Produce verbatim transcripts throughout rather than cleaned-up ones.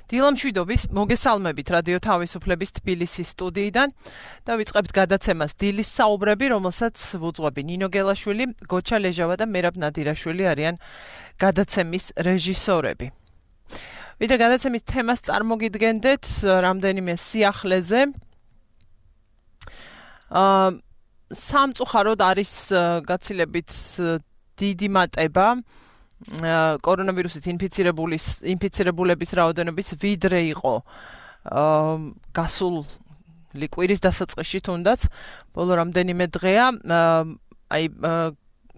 დილამშვიდობის, მოგესალმებით რადიო თავისუფლების თბილისის სტუდიიდან და ვიწყებთ გადაცემას დილის საუბრები, რომელსაც ვუძღვები ნინო გელაშვილი, გოჩა ლეჟავა და მერაბ ნადირაშვილი არიან გადაცემის რეჟისორები. ვიდრე გადაცემის თემას წარმოგიდგენდეთ რამდენიმე სიახლეზე. აა სამწუხაროდ არის გაცილებით დიდი მატება კორონავირუსით ინფიცირებულის ინფიცირებულების რაოდენობის ვიდრე იყო გასული კვირის დასაწყისში თუნდაც ბოლო რამდენიმე დღეა აი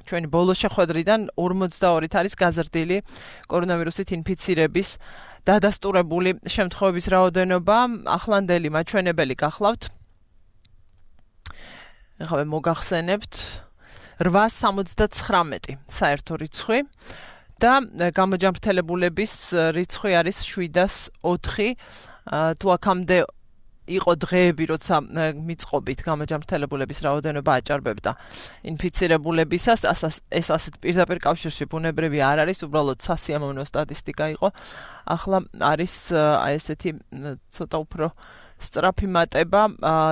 ჩვენი ბოლო შეხვედრიდან ორმოცდაორით არის გაზრდილი კორონავირუსით ინფიცირების დადასტურებული შემთხვევების რაოდენობა. ახლანდელი მაჩვენებელი გახლავთ. ეხლა მოგახსენებთ რვაას სამოცდაცხრამეტი საერთო რიცხვი და გამოჯანმრთელებულების რიცხვი არის შვიდას ოთხი. თუ აქამდე იყო დღეები, როცა მიწყობით გამოჯანმრთელებულების რაოდენობა აჭარბებდა ინფიცირებულებისას, ეს ასეთ პირდაპირ კავშირში ბუნებრივი არ არის, უბრალოდ სასიამოვნო სტატისტიკა იყო. ახლა არის აი ესეთი ცოტა უფრო სწრაფი მატება.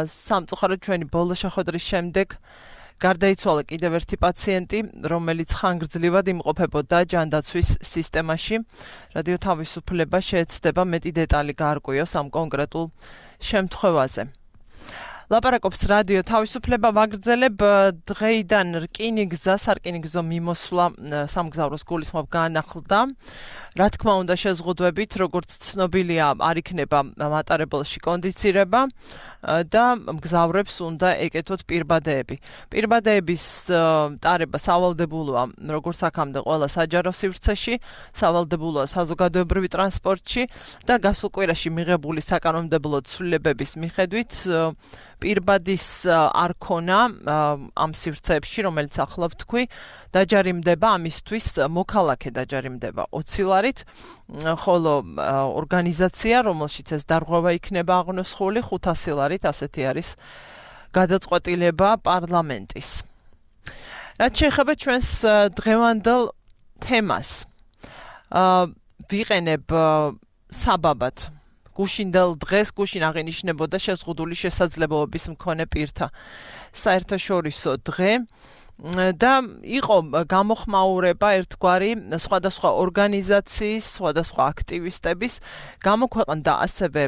სამწუხაროდ ჩვენი ბოლო შეხვედრის შემდეგ გარდაიცვალა კიდევ ერთი პაციენტი, რომელიც ხანგრძლივად იმყოფებოდა ჯანდაცვის სისტემაში. რადიო თავისუფლება შეეცდება მეტი დეტალი გაარკვიოს ამ კონკრეტულ შემთხვევაზე. ლაპარაკობს რადიო თავისუფლება, ვაგრძელებ დღეიდან რკინიგზა, სარკინიგზო მიმოსვლა სამგზავროს გულისხმობ განახლდა. რა თქმა უნდა შეზღუდვებით, როგორც ცნობილია, არ იქნება მატარებელში კონდიცირება და მგზავრებს უნდა ეკეთოთ პირბადეები. პირბადეების ტარება სავალდებულოა, როგორც აქამდე ყველა საჯარო სივრცეში, სავალდებულოა საზოგადოებრივი ტრანსპორტში და გასულ კვირაში მიღებული საკანონმდებლო ცვლილებების მიხედვით პირბადის არ ქონა ამ სივრცეებში, რომელიც ახლა ვთქვი, დაჯარიმდება ამისთვის მოქალაქე დაჯარიმდება ოცი ლარით, ხოლო ორგანიზაცია, რომელშიც ეს დარღვევა იქნება აღნოსხული, ხუთასი ლარით, ასეთი არის გადაწყვეტილება პარლამენტის. რაც შეეხება ჩვენს დღევანდელ თემას, ვიყენებ საბაბად გუშინდელ დღეს გუშინ აღინიშნებოდა შეზღუდული შესაძლებლობის მქონე პირთა საერთაშორისო დღე და იყო გამოხმაურება ერთგვარი სხვადასხვა ორგანიზაციის, სხვადასხვა აქტივისტების გამოქვეყნდა ასევე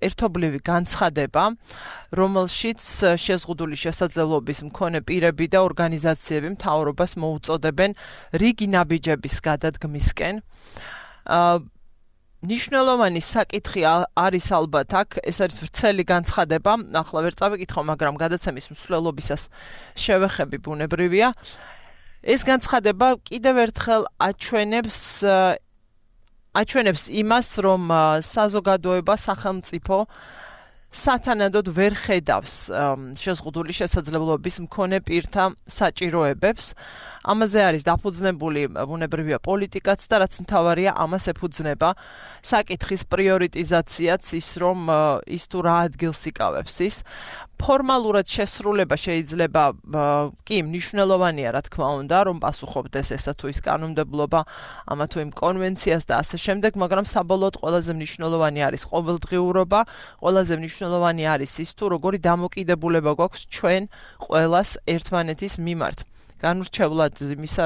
ერთობლივი განცხადება, რომელშიც შეზღუდული შესაძლებლობის მქონე პირები და ორგანიზაციები მთავრობას მოუწოდებენ რიგი ნაბიჯების გადადგმისკენ. ნიშნულოვანი საკითხი არის ალბათ აქ, ეს არის ვრცელი განცხადება, ახლა ვერ წავიკითხო, მაგრამ გადაცემის მსვლელობისას შევეხები ბუნებრივია. ეს განცხადება კიდევ ერთხელ აჩვენებს აჩვენებს იმას, რომ საზოგადოება, სახელმწიფო სათანადოდ ვერ ხედავს შეზღუდული შესაძლებლობის მქონე პირთა საჭიროებებს. ამაზე არის დაფუძნებული ბუნებრივია პოლიტიკაც და რაც მთავარია, ამას ეფუძნება საკითხის პრიორიტიზაციაც, ის რომ ის თუ რა ადგილს იკავებს ის. ფორმალურად შესრულება შეიძლება კი მნიშვნელოვანია, რა თქმა უნდა, რომ პასუხობდეს ესა თუ ის კანონმდებლობა, ამა თუ იმ კონვენციას და ასე შემდეგ, მაგრამ საბოლოოდ ყველაზე მნიშვნელოვანი არის ყოველდღიურობა, ყველაზე მნიშვნელოვანი არის ის თუ როგორი დამოკიდებულება გვაქვს ჩვენ ყველას ერთმანეთის მიმართ. განურჩევლად იმისა,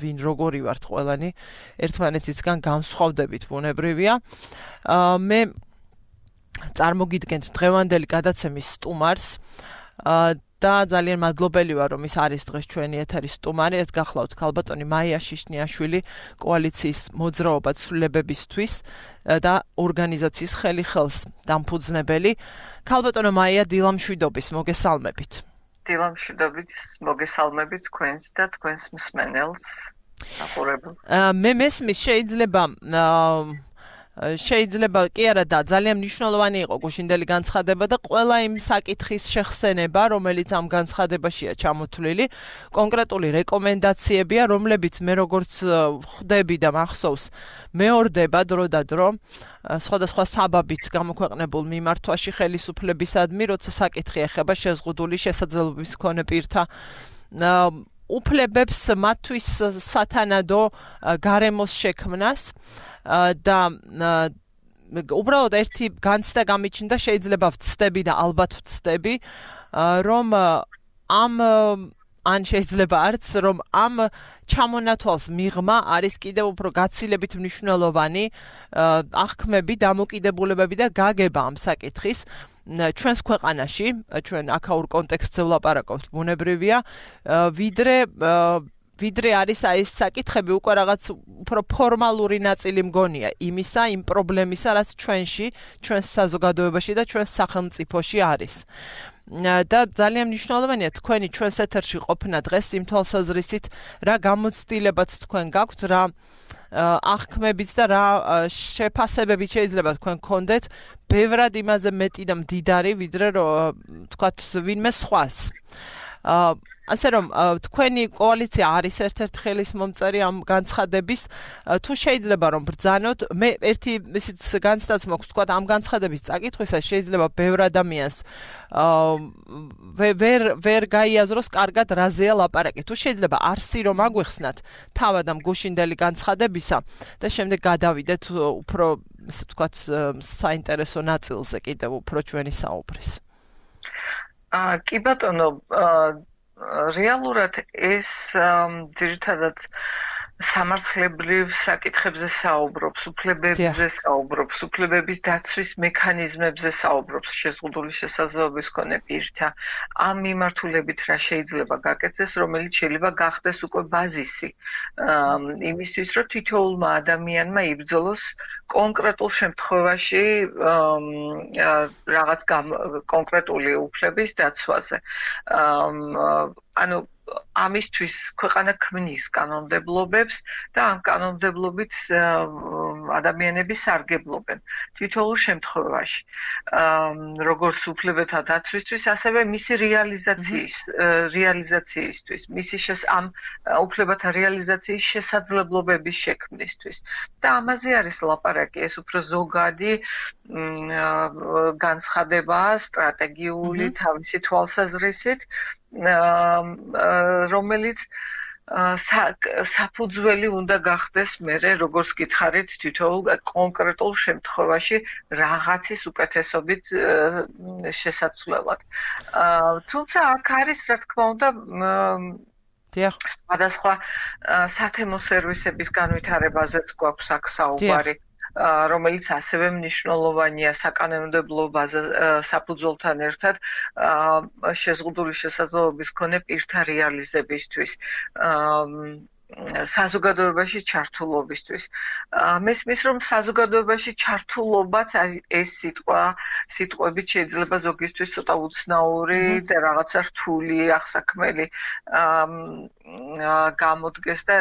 ვინ როგორი ვართ ყველანი, ერთმანეთისგან განსხვავდებით ბუნებრივია. მე წარმოგიდგენთ დღევანდელი გადაცემის სტუმარს და ძალიან მადლობელი ვარ, რომ ის არის დღეს ჩვენი ეთერის სტუმარი. ეს გახლავთ ქალბატონი მაია შიშნიაშვილი, კოალიციის მოძრაობა ცვლილებებისთვის და ორგანიზაციის ხელი ხელს დამფუძნებელი. ქალბატონო მაია, დილამშვიდობის, მოგესალმებით. დილამშვიდობით, მოგესალმებით თქვენს და თქვენს მსმენელს, ახურებელს. მე მესმის შეიძლება შეიძლება კი არა და ძალიან მნიშვნელოვანი იყო გუშინდელი განცხადება და ყველა იმ საკითხის შეხსენება, რომელიც ამ განცხადებაშია ჩამოთვლილი, კონკრეტული რეკომენდაციებია, რომლებიც მე როგორც ხვდები და მახსოვს, მეორდება დრო და დრო სხვადასხვა საბაბით გამოქვეყნებულ მიმართვაში ხელისუფლებისადმი, როცა საკითხი ეხება შეზღუდული შესაძლებლობის მქონე პირთა უფლებებს, მათთვის სათანადო გარემოს შექმნას და უბრალოდ ერთი განცდა გამიჩნდა, შეიძლება ვცდები და ალბათ ვცდები, რომ ამ ან შეიძლება არც რომ ამ ჩამონათვალს მიღმა არის კიდევ უფრო გაცილებით მნიშვნელოვანი აღქმები, დამოკიდებულებები და გაგება ამ საკითხის ჩვენს ქვეყანაში, ჩვენ აქაურ კონტექსტზე ვლაპარაკობთ, ბუნებრივია, ვიდრე ვიდრე არის აი ეს საკითხები უკვე რაღაც უფრო ფორმალური ნაწილი მგონია იმისა, იმ პრობლემისა, რაც ჩვენში, ჩვენს საზოგადოებაში და ჩვენს სახელმწიფოში არის. და ძალიან მნიშვნელოვანია თქვენი ჩვენს ეთერში ყოფნა დღეს იმ თვალსაზრისით, რა გამოცდილებაც თქვენ გაქვთ, რა აღქმებიც და რა შეფასებებით შეიძლება თქვენ გქონდეთ, ბევრად იმაზე მეტი და მდიდარი, ვიდრე თქვათ ვინმე სხვას. ასე რომ თქვენი კოალიცია არის ერთ-ერთი ხელის მომწერი ამ განცხადების, თუ შეიძლება რომ ბრძანოთ, მე ერთი ისიც განცდაც მაქვს, თქვათ ამ განცხადების წაკითხვისას შეიძლება ბევრ ადამიანს ვერ ვერ გაიაზროს კარგად რაზეა ლაპარაკი. თუ შეიძლება არსი რომ აგვიხსნათ თავად ამ გუშინდელი განცხადებისა და შემდეგ გადავიდეთ უფრო ისე ვთქვათ საინტერესო ნაწილზე კიდევ უფრო ჩვენი საუბრის. აა კი ბატონო, რეალურად ეს ძირითადად სამართლებრივ საკითხებზე საუბრობს, უფლებებზე საუბრობს, უფლებების დაცვის მექანიზმებზე საუბრობს შეზღუდული შესაძლებლობის მქონე პირთა. ამ მიმართულებით რა შეიძლება გაკეთდეს, რომელიც შეიძლება გახდეს უკვე ბაზისი იმისთვის, რომ თითოეულმა ადამიანმა იბრძოლოს კონკრეტულ შემთხვევაში რაღაც კონკრეტული უფლების დაცვაზე. ანუ ამისთვის ქვეყანა ქმნის კანონმდებლობებს და ამ კანონმდებლობით ადამიანები სარგებლობენ თითოეულ შემთხვევაში. როგორც უფლებათა დაცვისთვის, ასევე მისი რეალიზაციის რეალიზაციისთვის, მისი ამ უფლებათა რეალიზაციის შესაძლებლობების შექმნისთვის. და ამაზე არის ლაპარაკი, ეს უფრო ზოგადი განცხადებაა, სტრატეგიული თავისი თვალსაზრისით, რომელიც საფუძველი უნდა გახდეს მერე, როგორც გითხარით, თითოეულ კონკრეტულ შემთხვევაში რაღაცის უკეთესობით შესაცვლელად. თუმცა აქ არის, რა თქმა უნდა, სხვადასხვა სათემო სერვისების განვითარებაზეც გვაქვს აქ საუბარი. რომელიც ასევე მნიშვნელოვანია საკანონმდებლო საფუძველთან ერთად შეზღუდული შესაძლებლობის მქონე პირთა რეალიზებისთვის. საზოგადოებაში ჩართულობისთვის. მესმის რომ საზოგადოებაში ჩართულობაც ეს სიტყვა, სიტყვებით შეიძლება ზოგისთვის ცოტა უცნაური და რაღაცა რთული, აღსაქმელი გამოდგეს და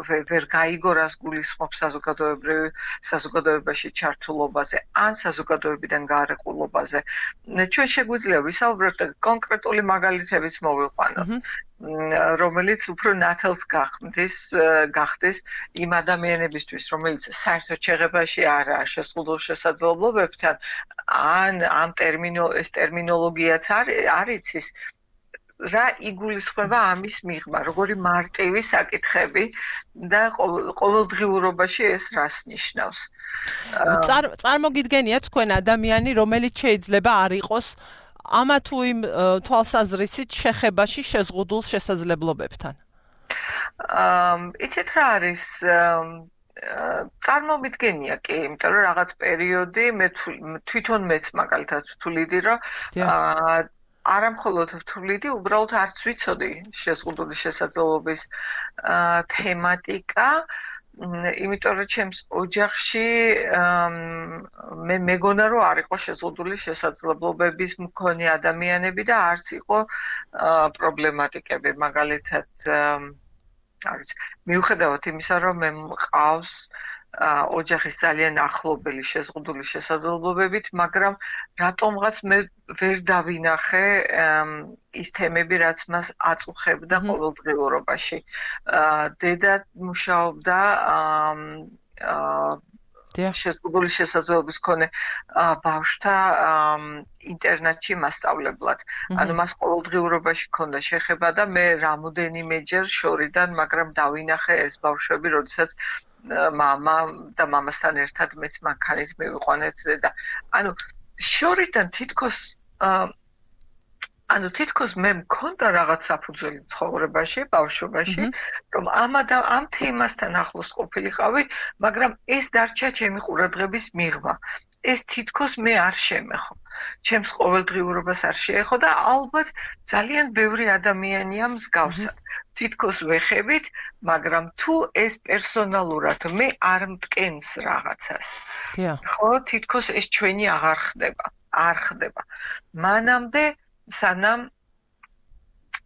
ვერ გაიგო რას გულისხმობს საზოგადოებრივ საზოგადოებაში ჩართულობაზე ან საზოგადოებიდან გარეყულობაზე. ჩვენ შეგვიძლია ვისაუბროთ და კონკრეტული მაგალითებიც მოვიყვანოთ, რომელიც უფრო ნათელს გახდის გახდეს იმ ადამიანებისთვის, რომელიც საერთოდ შეღებაში არაა შეზღუდულ შესაძლებლობებთან, ან ამ ტერმინოს ტერმინოლოგიაც არ იცის. რა იგულისხმება ამის მიღმა, როგორი მარტივი საკითხები და ყოველდღიურობაში ეს რას ნიშნავს. წარმოგიდგენია თქვენ ადამიანი, რომელიც შეიძლება არ იყოს ამა თუ იმ თვალსაზრისით შეხებაში შეზღუდულ შესაძლებლობებთან. იცით რა არის, წარმოვიდგენია კი, იმიტომ რომ რაღაც პერიოდი მე თვითონ მეც მაგალითად ვთვლიდი, რომ არა მხოლოდ ვთვლიდი, უბრალოდ არც ვიცოდი შეზღუდული შესაძლებლობის თემატიკა, იმიტომ რომ ჩემს ოჯახში მე მეგონა რომ არ იყო შეზღუდული შესაძლებლობების მქონე ადამიანები და არც იყო პრობლემატიკები, მაგალითად არ ვიცი, მიუხედავად იმისა, რომ მე მყავს ოჯახის ძალიან ახლობელი შეზღუდული შესაძლებლობებით, მაგრამ რატომღაც მე ვერ დავინახე ის თემები, რაც მას აწუხებდა ყოველდღიურობაში. დედა მუშაობდა შეზღუდული შესაძლებლობის მქონე ბავშვთა ინტერნატში მასწავლებლად. ანუ მას ყოველდღიურობაში ჰქონდა შეხება და მე რამოდენიმეჯერ შორიდან, მაგრამ დავინახე ეს ბავშვები, როდესაც მამა და მამასთან ერთად მეც მანქანით მივიყვანეთ და ანუ შორიდან თითქოს ანუ თითქოს მე მქონდა რაღაც საფუძველი ცხოვრებაში, ბავშვობაში, რომ ამ ამ თემასთან ახლოს ყოფილიყავი, მაგრამ ეს დარჩა ჩემი ყურადღების მიღმა. ეს თითქოს მე არ შემეხო. ჩემს ყოველდღიურობას არ შეეხო და ალბათ ძალიან ბევრი ადამიანია მსგავსად. თითქოს ვეხებით, მაგრამ თუ ეს პერსონალურად მე არ მტკენს რაღაცას. ხო, თითქოს ეს ჩვენი აღარ ხდება, არ ხდება. მანამდე სანამ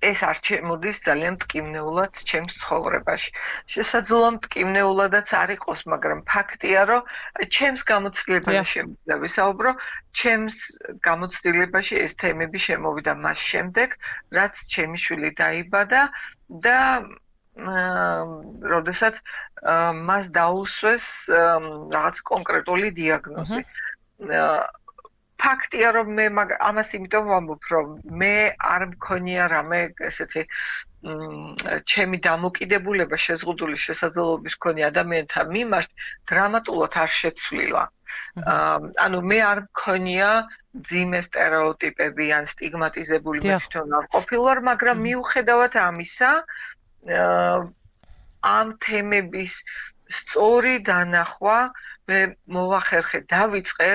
ეს არ შემოდის ძალიან მტკივნეულად ჩემს ცხოვრებაში. შესაძლოა მტკივნეულადაც არ იყოს, მაგრამ ფაქტია, რომ ჩემს გამოცდილებაზე შემიძლია ვისაუბრო, ჩემს გამოცდილებაში ეს თემები შემოვიდა მას შემდეგ, რაც ჩემი შვილი დაიბადა და როდესაც მას დაუსვეს რაღაც კონკრეტული დიაგნოზი. ფაქტია რომ მე ამას იმიტომ ვამბობ რომ მე არ მქონია რამე ესეთი ჩემი დამოკიდებულება შეზღუდული შესაძლებლობის მქონე ადამიანთა მიმართ დრამატულად არ შეცვლილა. ანუ მე არ მქონია ძიმე სტერეოტიპები ან სტიგმატიზებული მე თვითონ არ ყოფილვარ, მაგრამ მიუხედავად ამისა ამ თემების სწორი დანახვა მე მოვახერხე დავიწყე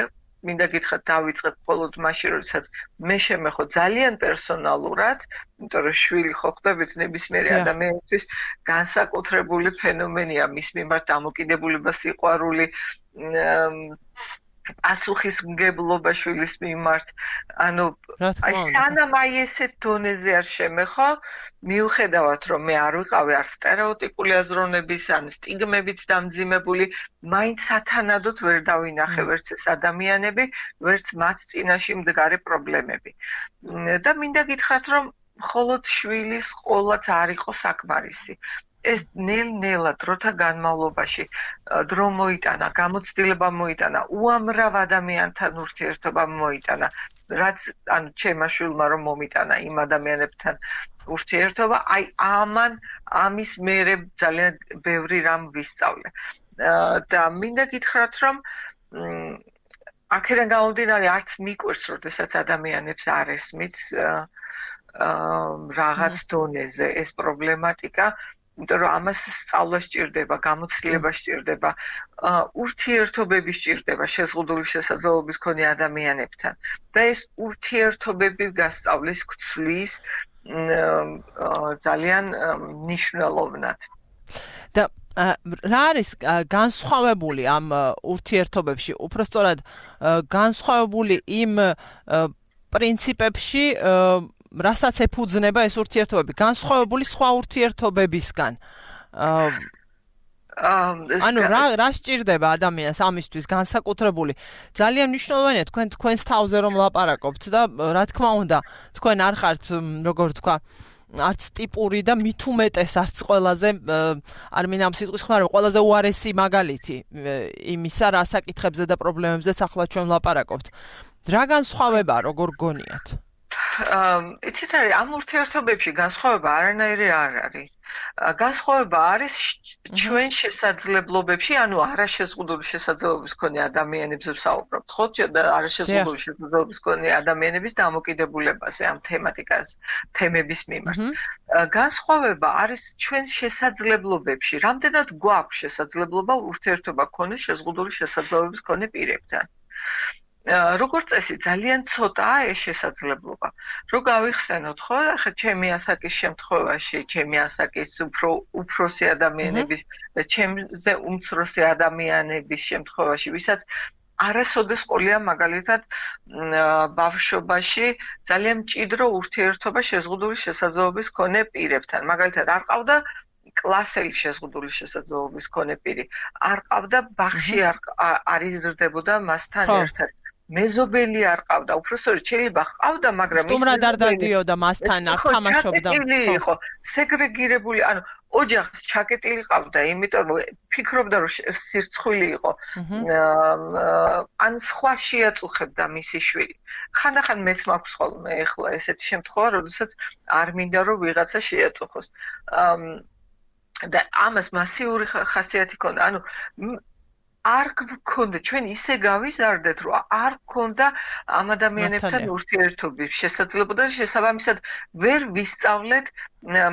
მინდა გითხრათ დავიწყეთ მხოლოდ მაშინ როდესაც მე შემეხო ძალიან პერსონალურად, იმიტომ რომ შვილი ხო ხვდებით ნებისმიერი ადამიანისთვის განსაკუთრებული ფენომენია მის მიმართ დამოკიდებულება, სიყვარული, პასუხისმგებლობა შვილის მიმართ. ანუ აი სანამ აი ესეთ დონეზე არ შემეხო, მიუხედავად რომ მე არ ვიყავი არ სტერეოტიპული აზროვნების ან სტიგმებით დამძიმებული, მაინც სათანადოდ ვერ დავინახე ვერც ეს ადამიანები, ვერც მათ წინაშე მდგარი პრობლემები. და მინდა გითხრათ რომ მხოლოდ შვილის ყოლაც არ იყო საკმარისი. ეს ნელ-ნელა დროთა განმავლობაში დრო მოიტანა, გამოცდილება მოიტანა, უამრავ ადამიანთან ურთიერთობა მოიტანა, რაც ანუ ჩემმა შვილმა რომ მომიტანა იმ ადამიანებთან ურთიერთობა, აი ამან ამის მერე ძალიან ბევრი რამ ვისწავლე. და მინდა გითხრათ რომ აქედან გამომდინარე არც მიკვირს, როდესაც ადამიანებს არ ესმით რაღაც დონეზე ეს პრობლემატიკა, იმიტომ რომ ამას სწავლა სჭირდება, გამოცდილება სჭირდება, ურთიერთობები სჭირდება შეზღუდული შესაძლებლობის მქონე ადამიანებთან და ეს ურთიერთობები გასწავლის გცვლის ძალიან მნიშვნელოვნად. და რა არის განსხვავებული ამ ურთიერთობებში, უпростоრად განსხვავებული იმ პრინციპებში, რასაც ეფუძნება ეს ურთიერთობები, განსხვავებული სხვა ურთიერთობებისგან. ანუ რა რა სჭირდება ადამიანს ამისთვის განსაკუთრებული? ძალიან მნიშვნელოვანია თქვენ თქვენს თავზე რომ ლაპარაკობთ და რა თქმა უნდა, თქვენ არ ხართ, როგორ თქვა, არც ტიპური და მით უმეტეს არც ყველაზე არ მინდა ამ სიტყვის ხმარო, ყველაზე უარესი მაგალითი იმისა, რა საკითხებზე და პრობლემებზეც ახლა ჩვენ ლაპარაკობთ. რა განსხვავება როგორ გონიათ? იცით არის ამ ურთიერთობებში განსხვავება არანაირი არ არის. განსხვავება არის ჩვენ შესაძლებლობებში, ანუ არაშეზღუდული შესაძლებლობის მქონე ადამიანებზე ვსაუბრობთ, ხო? და არაშეზღუდული შესაძლებლობის მქონე ადამიანების დამოკიდებულებაზე ამ თემატიკას, თემების მიმართ. განსხვავება არის ჩვენ შესაძლებლობებში, რამდენად გვაქვს შესაძლებლობა ურთიერთობა გქონდეს შეზღუდული შესაძლებლობის მქონე პირებთან. როგორც წესი ძალიან ცოტაა ეს შესაძლებლობა. რო გავიხსენოთ, ხო, ახლა ჩემი ასაკის შემთხვევაში, ჩემი ასაკის უფრო უფროსი ადამიანების და ჩემზე უმცროსი ადამიანების შემთხვევაში, ვისაც არასოდეს ყოლია მაგალითად ბავშვობაში ძალიან მჭიდრო ურთიერთობა შეზღუდული შესაძლებლობის მქონე პირებთან. მაგალითად არ ყავდა კლასელი შეზღუდული შესაძლებლობის მქონე პირი, არ ყავდა ბაღში არ იზრდებოდა მასთან ერთად. მეზობელი არ ყავდა, უბრალოდ შეიძლება ყავდა, მაგრამ ის სტუმრად არ დადიოდა მასთან, არ თამაშობდა. ხო, სეგრეგირებული, ანუ ოჯახს ჩაკეტილი ყავდა, იმიტომ რომ ფიქრობდა რომ სირცხვილი იყო. ან სხვა შეაწუხებდა მისი შვილი. ხანდახან მეც მაქვს ხოლმე ახლა ესეთი შემთხვევა, როდესაც არ მინდა რომ ვიღაცა შეაწუხოს. და ამას მასიური ხასიათი ქონდა. ანუ არ გქონდა ჩვენ ისე გავიზარდეთ, რომ არ გქონდა ამ ადამიანებთან ურთიერთობის შესაძლებლობა და შესაბამისად ვერ ვისწავლეთ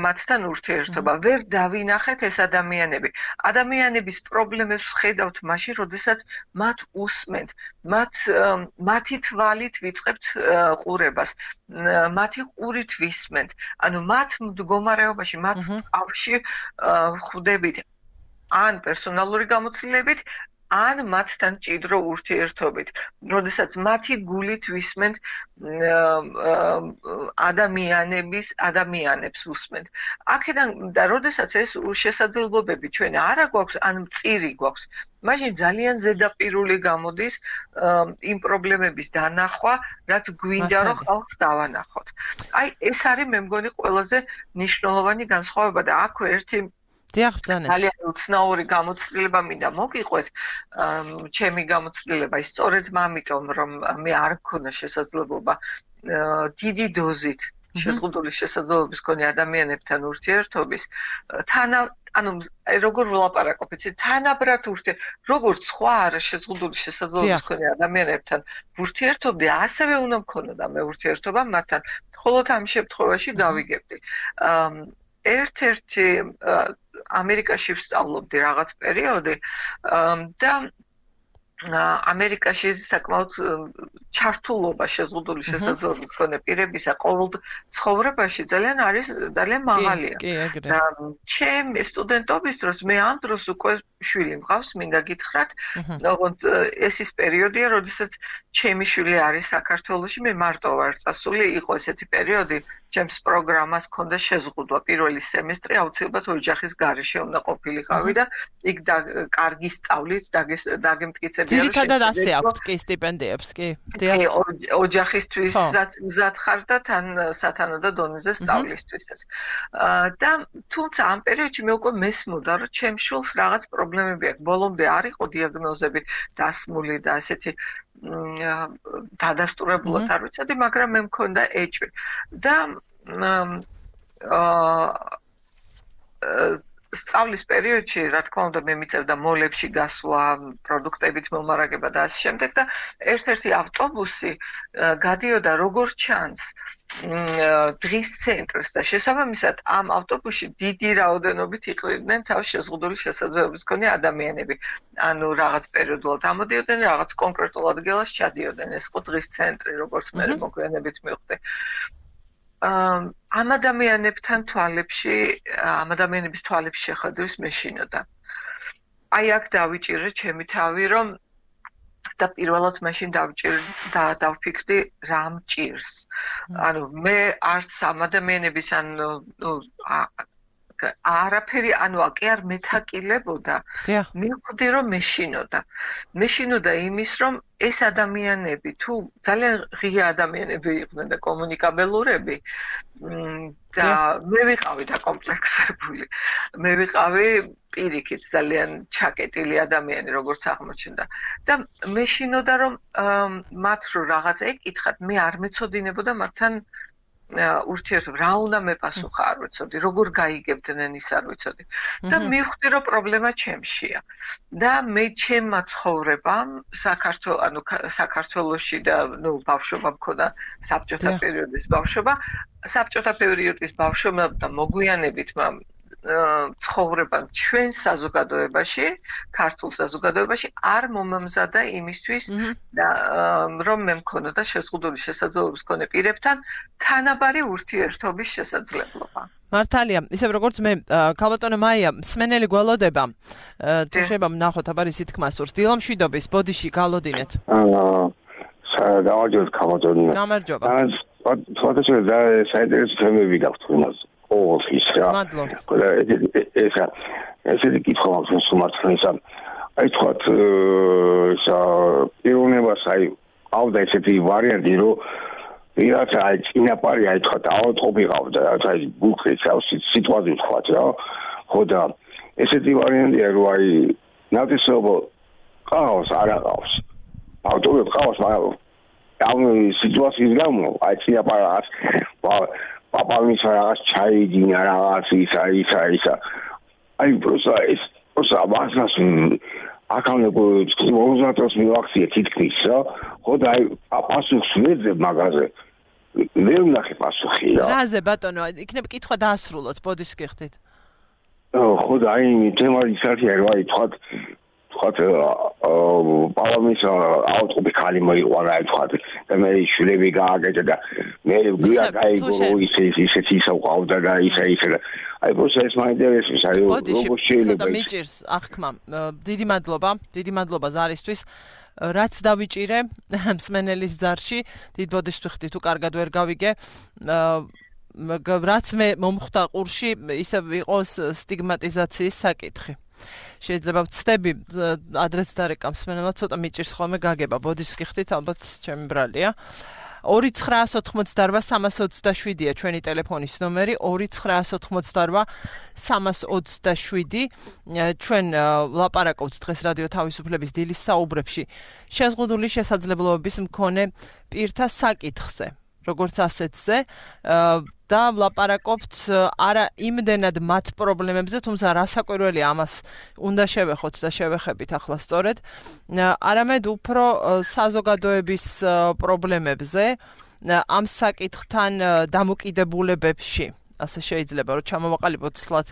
მათთან ურთიერთობა, ვერ დავინახეთ ეს ადამიანები. ადამიანების პრობლემებს ხედავთ მაშინ, როდესაც მათ უსმენთ, მათ მათი თვალით ვიწყებთ ყურებას, მათი ყურით ვისმენთ. ანუ მათ მდგომარეობაში, მათ ტყავში ხვდებით ან პერსონალური გამოცდილებით, ან მათთან ჭიდრო ურთიერთობით, როდესაც მათი გულით ვისმენთ ადამიანების, ადამიანებს უსმენთ. აქედან და როდესაც ეს შესაძლებლობები ჩვენ არა გვაქვს, ან მწირი გვაქვს, მაშინ ძალიან ზედაპირული გამოდის იმ პრობლემების დანახვა, რაც გვინდა რომ ხალხს დავანახოთ. აი ეს არის მე მგონი ყველაზე მნიშვნელოვანი განსხვავება და აქვე ერთი ძალიან უცნაური გამოცდილება მინდა მოგიყვეთ. ჩემი გამოცდილება ის სწორედ ამიტომ, რომ მე არ მქონდა შესაძლებლობა დიდი დოზით შეზღუდული შესაძლებლობის მქონე ადამიანებთან ურთიერთობის, თანა ანუ როგორ ვლაპარაკობ, იცი, თანაბრად ურთიერთ, როგორც სხვა არა შეზღუდული შესაძლებლობის მქონე ადამიანებთან ურთიერთობდი, ასევე უნდა მქონოდა მე ურთიერთობა მათთან. მხოლოდ ამ შემთხვევაში გავიგებდი. ერთ-ერთი ამერიკაში ვსწავლობდი რაღაც პერიოდი და ამერიკაში საკმაოდ ჩართულობა შეზღუდული შესაძლებლობის მქონე პირებისა ყოველ ცხოვრებაში ძალიან არის ძალიან მაღალია. და ჩემი სტუდენტობის დროს მე ამ დროს უკვე შვილი მყავს, მინდა გითხრათ, ოღონდ ეს ის პერიოდია, როდესაც ჩემი შვილი არის საქართველოში, მე მარტო ვარ წასული, იყო ესეთი პერიოდი, ჩემს პროგრამას ჰქონდა შეზღუდვა პირველი სემესტრი აუცილებლად ოჯახის გარეშე უნდა ყოფილიყავი და იქ კარგი სწავლით დაგემტკიცებია. ძირითადად ასე აქვთ კი სტიპენდიებს, კი? კი, ოჯახისთვისაც მზად ხარ და თან სათანადო დონეზე სწავლისთვისაც. და თუმცა ამ პერიოდში მე უკვე მესმოდა, რომ ჩემს შვილს რაღაც პრობლემები აქვს. ბოლომდე არ იყო დიაგნოზები დასმული და ასეთი დადასტურებულად არ ვიცოდი, მაგრამ მე მქონდა ეჭვი. და სწავლის პერიოდში, რა თქმა უნდა, მე მიწევდა მოლებში გასვლა, პროდუქტებით მომარაგება და ასე შემდეგ და ერთ-ერთი ავტობუსი გადიოდა როგორც ჩანს დღის ცენტრს და შესაბამისად ამ ავტობუსში დიდი რაოდენობით იყვნენ თავს შეზღუდული შესაძლებლობის მქონე ადამიანები. ანუ რაღაც პერიოდულად ამოდიოდნენ, რაღაც კონკრეტულ ადგილას ჩადიოდნენ. ეს იყო დღის ცენტრი, როგორც მე მოგვიანებით მივხვდი. ამ ადამიანებთან თვალებში, ამ ადამიანების თვალებში შეხედვის მეშინოდა. აი აქ დავიჭირე ჩემი თავი, რომ და პირველად მაშინ დავჭირ და დავფიქრდი რა მჭირს. ანუ მე არც ამ ადამიანების ან ნუ არაფერი, ანუ კი არ მეთაკილებოდა. მივხვდი რომ მეშინოდა. მეშინოდა იმის, რომ ეს ადამიანები თუ ძალიან ღია ადამიანები იყვნენ და კომუნიკაბელურები და მე ვიყავი დაკომპლექსებული. მე ვიყავი პირიქით ძალიან ჩაკეტილი ადამიანი, როგორც აღმოჩნდა. და მეშინოდა რომ მათ რო რაღაცა ეკითხათ, მე არ მეცოდინებოდა მათთან ურთიერთობა, რა უნდა მეპასუხა არ ვიცოდი, როგორ გაიგებდნენ ის არ ვიცოდი. და მივხვდი რომ პრობლემა ჩემშია. და მე ჩემმა ცხოვრებამ საქართველოს, ანუ საქართველოში და ნუ ბავშვობა მქონდა საბჭოთა პერიოდის ბავშვობა, საბჭოთა პერიოდის ბავშვობა და მოგვიანებით ცხოვრება ჩვენ საზოგადოებაში, ქართულ საზოგადოებაში არ მომამზადა იმისთვის და რომ მე მქონოდა შეზღუდული შესაძლებლობის მქონე პირებთან თანაბარი ურთიერთობის შესაძლებლობა. მართალია, ისევ როგორც მე ქალბატონო მაია, მსმენელი გველოდება, თუ შეიძლება ვნახოთ აბა ისი თქმა სურს, დილამშვიდობის ბოდიში გალოდინეთ. აა გამარჯობთ ქალბატონო. გამარჯობა. ფოტოშოპი და საინტერესო თემები გაქვთ იმას. Oh, ის რა. ესა ესეთი კითხვა მაქვს სუმართლისა. აი თქვათ ისა პიროვნებას აი ავდა ესეთი ვარიანტი, რომ ვიღაც აი წინაპარი აი თქვათ ავადმყოფიყავდა, აი ბულქრის სიტუაცია თქვათ რა. ხო და ესეთი ვარიანტია, რომ აი ნათესაობა ყავს, არ ყავს. ავტომობილი ყავს, მაგრამ ამ სიტუაციის გამო აი წინაპარს პაპამის რაღაც ჩაიდინა რაღაც ისა ისა ისა აი პროსა ეს პროსა ამას აკავნებო მომზადოს მივახციე თითქმის რა ხო და აი პასუხს ვეძებ მაგაზე მე ვნახე პასუხი რა რაზე ბატონო იქნება კითხვა დაასრულოთ ბოდიშ გიხდით ხო და აი თემა ის არის რა თქვა თქვა პარლამენტის აუტყობი ხალი მოიყვანა აი თქვა და მე შვილები გააკეთა და მე გვია გაიგო ისე ისეთი ისე ყავდა და ისე ისე აი პროცესს მაინტერესებს აი როგორ შეიძლება და მიჭირს ახქმა დიდი მადლობა დიდი მადლობა ზარისთვის რაც დავიჭირე მსმენელის ზარში დიდ ბოდიშს ვიხდი თუ კარგად ვერ გავიგე რაც მე მომხვდა ყურში ისე იყოს სტიგმატიზაციის საკითხი შეიძლება ვცდები ადრეც დარეკა მსმენელად ცოტა მიჭირს ხოლმე გაგება ბოდიშს გიხდით ალბათ ჩემი ბრალია ორი ცხრაას ოთხმოცდაორვა სამას ოცდაშვიდია ჩვენი ტელეფონის ნომერი ორი ცხრაას ოთხმოცდაორვა სამას ოცდაშვიდი ჩვენ ლაპარაკობთ დღეს რადიო თავისუფლების დილის საუბრებში შეზღუდული შესაძლებლობების მქონე პირთა საკითხზე როგორც ასეთზე და ლაპარაკობთ არა იმდენად მათ პრობლემებზე, თუმცა რასაკვირველია ამას უნდა შევეხოთ და შევეხებით ახლა სწორედ, არამედ უფრო საზოგადოების პრობლემებზე, ამ საკითხთან დამოკიდებულებებში. ასე შეიძლება რომ ჩამოვაყალიბოთ სლად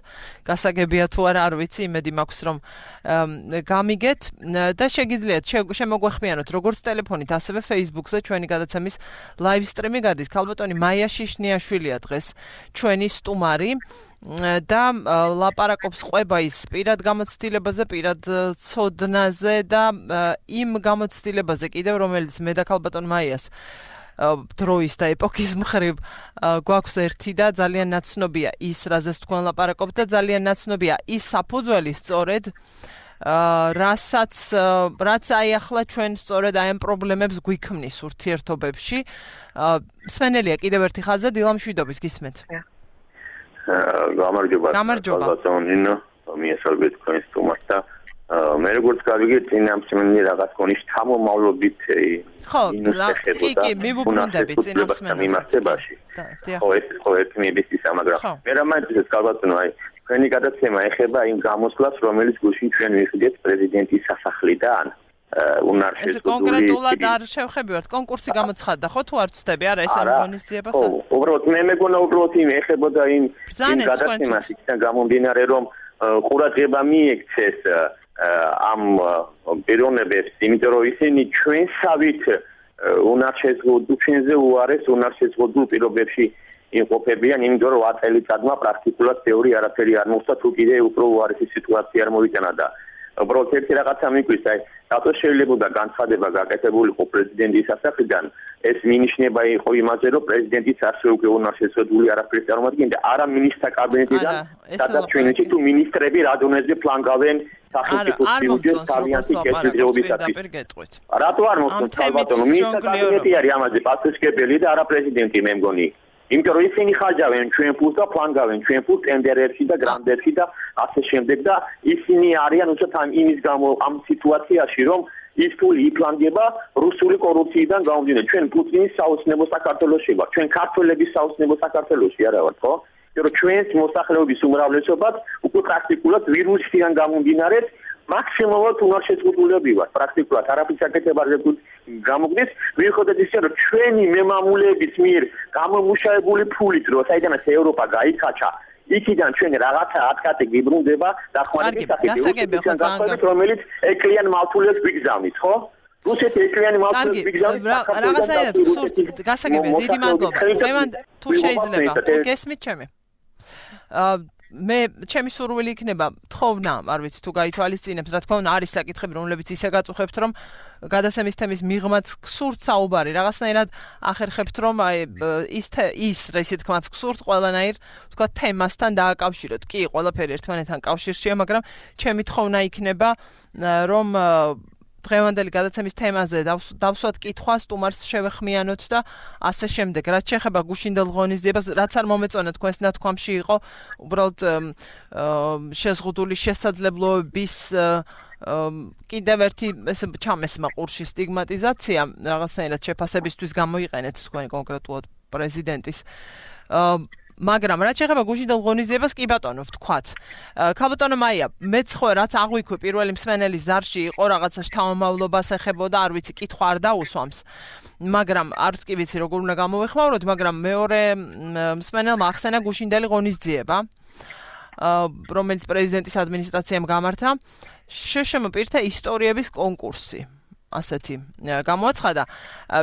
გასაგებია თუ არა არ ვიცი იმედი მაქვს რომ გამიგეთ და შეგიძლიათ შემოგვეხმიანოთ როგორც ტელეფონით ასევე Facebook-ზე ჩვენი გადაცემის live stream-ი გადის ქალბატონი მაია შიშნიაშვილია დღეს ჩვენი სტუმარი და ლაპარაკობს ყვება ის პირად გამოცდილებაზე პირად ცოდნაზე და იმ გამოცდილებაზე კიდევ რომელიც მე და ქალბატონ მაიას დროის და ეპოქის მხრივ გვაქვს ერთი და ძალიან ნაცნობია ის რაზეც თქვენ ლაპარაკობთ და ძალიან ნაცნობია ის საფუძველი სწორედ რასაც რაც აი ახლა ჩვენ სწორედ აი ამ პრობლემებს გვიქმნის ურთიერთობებში მსმენელია კიდევ ერთი ხაზი დილამშვიდობის გისმენთ გამარჯობა ბატონინო მიესალმებით თქვენ სტუმარს და მე როგორც გავიგე წინა მსმენელი რაღაც კონის თამომავლობით ხო კი კი მივუბრუნდები წინა მსმენელს ხო ეს ხო ერთი მიბისის მაგრამ მე რა მაინტერესებს გალბატონო აი თქვენი გადაცემა ეხება იმ გამოსვლას რომელიც გუშინ ჩვენ ვიხდით პრეზიდენტის სასახლიდან უნარშეს ეს კონკრეტულად არ შევხებივართ კონკურსი გამოცხადდა ხო თუ არ ვცდები არა ეს ამონიზიებას ხო უბრალოდ მე მეგონა უბრალოდ იმ ეხებოდა იმ გადაცემას იქიდან გამომდინარე რომ ყურადღება მიექცეს ამ პიროვნებებს, იმიტომ რომ ისინი ჩვენსავით უნარშეზღუდულ ჩვენზე უარეს უნარშეზღუდულ პირობებში იმყოფებიან, იმიტომ რომ ათ წელიწადმა პრაქტიკულად თეორი არაფერი არ მოხდა, თუ კიდე უფრო უარესი სიტუაცია არ მოიტანა და უბრალოდ ერთი რაღაცა მიგვის, აი, რატო შეიძლება განცხადება გაკეთებულიყო პრეზიდენტის სასახლიდან, ეს მინიშნება იყო იმაზე, რომ პრეზიდენტის ასე უკვე უნარშეზღუდული არაფერი წარმოადგენდა, არა მინისტრთა კაბინეტიდან, სადაც ჩვენში თუ მინისტრები რა დონეზე ფლანგავენ სახელმწიფო ბიუჯეტს თავიანთი კეთილდღეობისათვის. რატო არ მოხდა ბატონო, მინისტრთა კაბინეტი არის ამაზე პასუხისმგებელი და არა პრეზიდენტი მე მგონი. იმიტომ რომ ისინი ხაჯავენ ჩვენ ფულს და ფლანგავენ ჩვენ ფულს ტენდერებში და გრანდებში და ასე შემდეგ და ისინი არიან უცებ ამ იმის გამო ამ სიტუაციაში რომ ის ფული იფლანგება რუსული კორუფციიდან გამომდინარე ჩვენ პუტინის საოცნებო საქართველოში ვართ ჩვენ ქართველების საოცნებო საქართველოში არა ვართ ხო იმიტომ რომ ჩვენს მოსახლეობის უმრავლესობაც უკვე პრაქტიკულად ვირუსიდან გამომდინარე მაქსიმალურად უნარშეზღუდულები ვართ პრაქტიკულად არაფრის აკეთებაზე გამოგვდის მიუხედავად ისე რომ ჩვენი მემამულეების მიერ გამომუშავებული ფულით რო საიდანაც ევროპა გაიქაჩა იქიდან ჩვენ რაღაცა ათკატი გიბრუნდება დახმარების სახით რომელიც ეკლიან მავთულებს ვიგზავნით ხო რუსეთი ეკლიანი მავთულებს ვიგზავნით რაღაცაერად სურთ გასაგებია დიდი მადლობა დღევანდ თუ შეიძლება თუ გესმით ჩემი მე ჩემი სურვილი იქნება თხოვნა, არ ვიცი თუ გაითვალისწინებთ, რა თქმა უნდა არის საკითხები, რომლებიც ისე გაწუხებთ, რომ გადაცემის თემის მიღმაც გსურთ საუბარი, რაღაცნაირად ახერხებთ, რომ აი ის ის ისე თქმაც გსურთ ყველანაირ, თქვა თემასთან დააკავშიროთ. კი, ყველაფერი ერთმანეთთან კავშირშია, მაგრამ ჩემი თხოვნა იქნება, რომ დღევანდელი გადაცემის თემაზე დავსვათ კითხვა, სტუმარს შევეხმიანოთ და ასე შემდეგ. რაც შეეხება გუშინდელ ღონისძიებას, რაც არ მომეწონა თქვენს ნათქვამში იყო, უბრალოდ შეზღუდული შესაძლებლობების კიდევ ერთი ესე ჩამესმა ყურში სტიგმატიზაცია, რაღაცნაირად შეფასებისთვის გამოიყენეთ თქვენ კონკრეტულად პრეზიდენტის მაგრამ რაც შეეხება გუშინდელ ღონისძიებას, კი ბატონო, ვთქვათ. ქალბატონო მაია, მეც ხო რაც აღვიქვი პირველი მსმენელის ზარში იყო რაღაცა შთამომავლობას ეხებოდა, არ ვიცი, კითხვა არ დაუსვამს. მაგრამ არც კი ვიცი როგორ უნდა გამოვეხმაუროთ, მაგრამ მეორე მსმენელმა ახსენა გუშინდელი ღონისძიება, რომელიც პრეზიდენტის ადმინისტრაციამ გამართა, შშმ პირთა ისტორიების კონკურსი. ასეთი გამოაცხადა.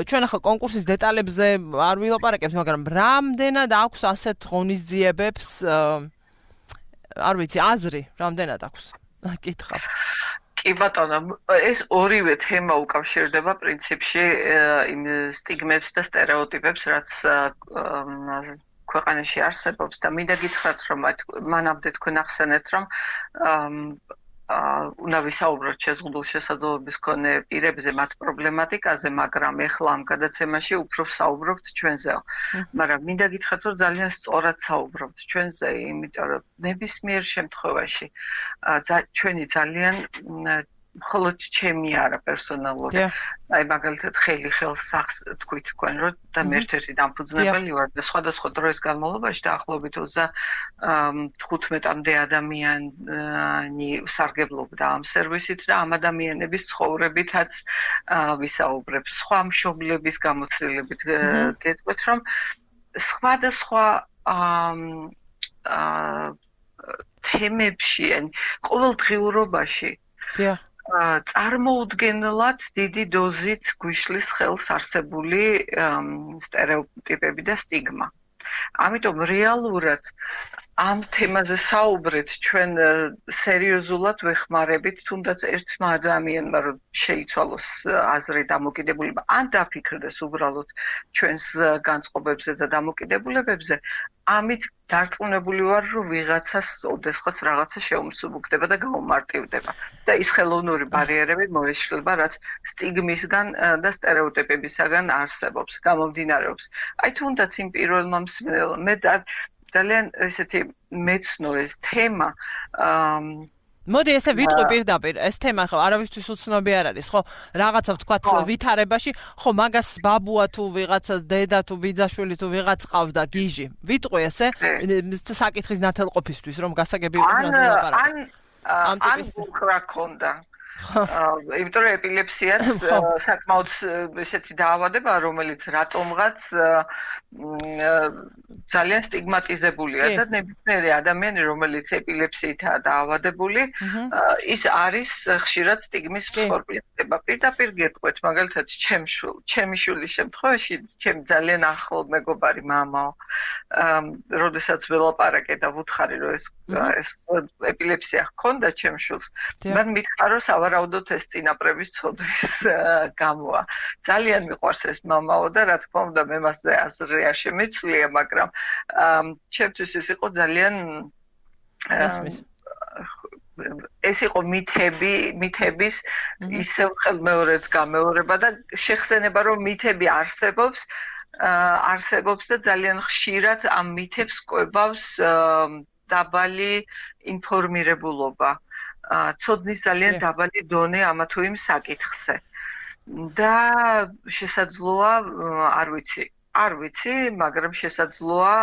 ჩვენ ახლა კონკურსის დეტალებზე არ ვილაპარაკებთ, მაგრამ რამდენად აქვს ასეთ ღონისძიებებს, არ ვიცი, აზრი, რამდენად აქვს? კითხავ. კი ბატონო, ეს ორივე თემა უკავშირდება პრინციპში იმ სტიგმებს და სტერეოტიპებს, რაც ქვეყანაში არსებობს და მინდა გითხრათ, რომ მანამდე თქვენ ახსენეთ, რომ უნდა ვისაუბროთ შეზღუდულ შესაძლებლობის მქონე პირებზე მათ პრობლემატიკაზე, მაგრამ ეხლა ამ გადაცემაში უფრო ვსაუბრობთ ჩვენზე. მაგრამ მინდა გითხრათ, რომ ძალიან სწორად საუბრობთ ჩვენზე, იმიტომ რომ ნებისმიერ შემთხვევაში ჩვენი ძალიან მხოლოდ ჩემი არა პერსონალური. აი მაგალითად ხელი ხელს სახს თქვით თქვენ, რომ და მე ერთ-ერთი დამფუძნებელი ვარ და სხვადასხვა დროის განმავლობაში დაახლოებით ოცდახუთმეტამდე ადამიანი სარგებლობდა ამ სერვისით და ამ ადამიანების ცხოვრებითაც ვისაუბრებ. სხვა მშობლების გამოცდილებით გეტყვით, რომ სხვადასხვა თემებში, ან ყოველდღიურობაში წარმოუდგენლად დიდი დოზით გვიშლის ხელს არსებული სტერეოტიპები და სტიგმა. ამიტომ რეალურად ამ თემაზე საუბრეთ ჩვენ სერიოზულად ვეხმარებით, თუნდაც ერთმა ადამიანმა რომ შეიცვალოს აზრი დამოკიდებულება, ან დაფიქრდეს უბრალოდ ჩვენს განწყობებზე და დამოკიდებულებებზე, ამით დარწმუნებული ვარ, რომ ვიღაცას ოდესღაც რაღაცა შეუმსუბუქდება და გაუმარტივდება. და ის ხელოვნური ბარიერები მოეშლება, რაც სტიგმისგან და სტერეოტიპებისგან არსებობს, გამომდინარეობს. აი თუნდაც იმ პირველმა მსმენელმა მე ძალიან ესეთი მეცნო ეს თემა მოდი ესე ვიტყვი პირდაპირ, ეს თემა ხო არავისთვის უცნობი არ არის, ხო? რაღაცა ვთქვათ ვითარებაში, ხო მაგას ბაბუა თუ ვიღაცა დედა თუ ბიძაშვილი თუ ვიღაც ყავდა გიჟი. ვიტყვი ესე საკითხის ნათელყოფისთვის, რომ გასაგები იყოს რაზე ვილაპარაკო. ან ან უხრა ქონდა. იმიტომ რომ ეპილეფსიაც საკმაოდ ესეთი დაავადებაა, რომელიც რატომღაც ძალიან სტიგმატიზებულია და ნებისმიერი ადამიანი, რომელიც ეპილეფსიითაა დაავადებული, ის არის ხშირად სტიგმის მსხვერპლი. პირდაპირ გეტყვით, მაგალითად, ჩემი შვილის შემთხვევაში, ჩემი ძალიან ახლო მეგობარი მამაო, როდესაც ველაპარაკე და ვუთხარი, რომ ეს ეს ეპილეფსია ჰქონდა ჩემს შვილს, მან მითხრა, რომ სავარაუდოდ ეს წინაპრების ცოდვის გამოა. ძალიან მიყვარს ეს მამაო და რა თქმა უნდა მე მასზე აზრი არ შემეცვლია, მაგრამ ჩემთვის ეს იყო ძალიან ეს იყო მითები, მითების ისევ ხელმეორედ გამეორება და შეხსენება, რომ მითები არსებობს, არსებობს და ძალიან ხშირად ამ მითებს კვებავს დაბალი ინფორმირებულობა. ცოდნის ძალიან დაბალი დონე ამა თუ იმ საკითხზე. და შესაძლოა, არ ვიცი, არ ვიცი, მაგრამ შესაძლოა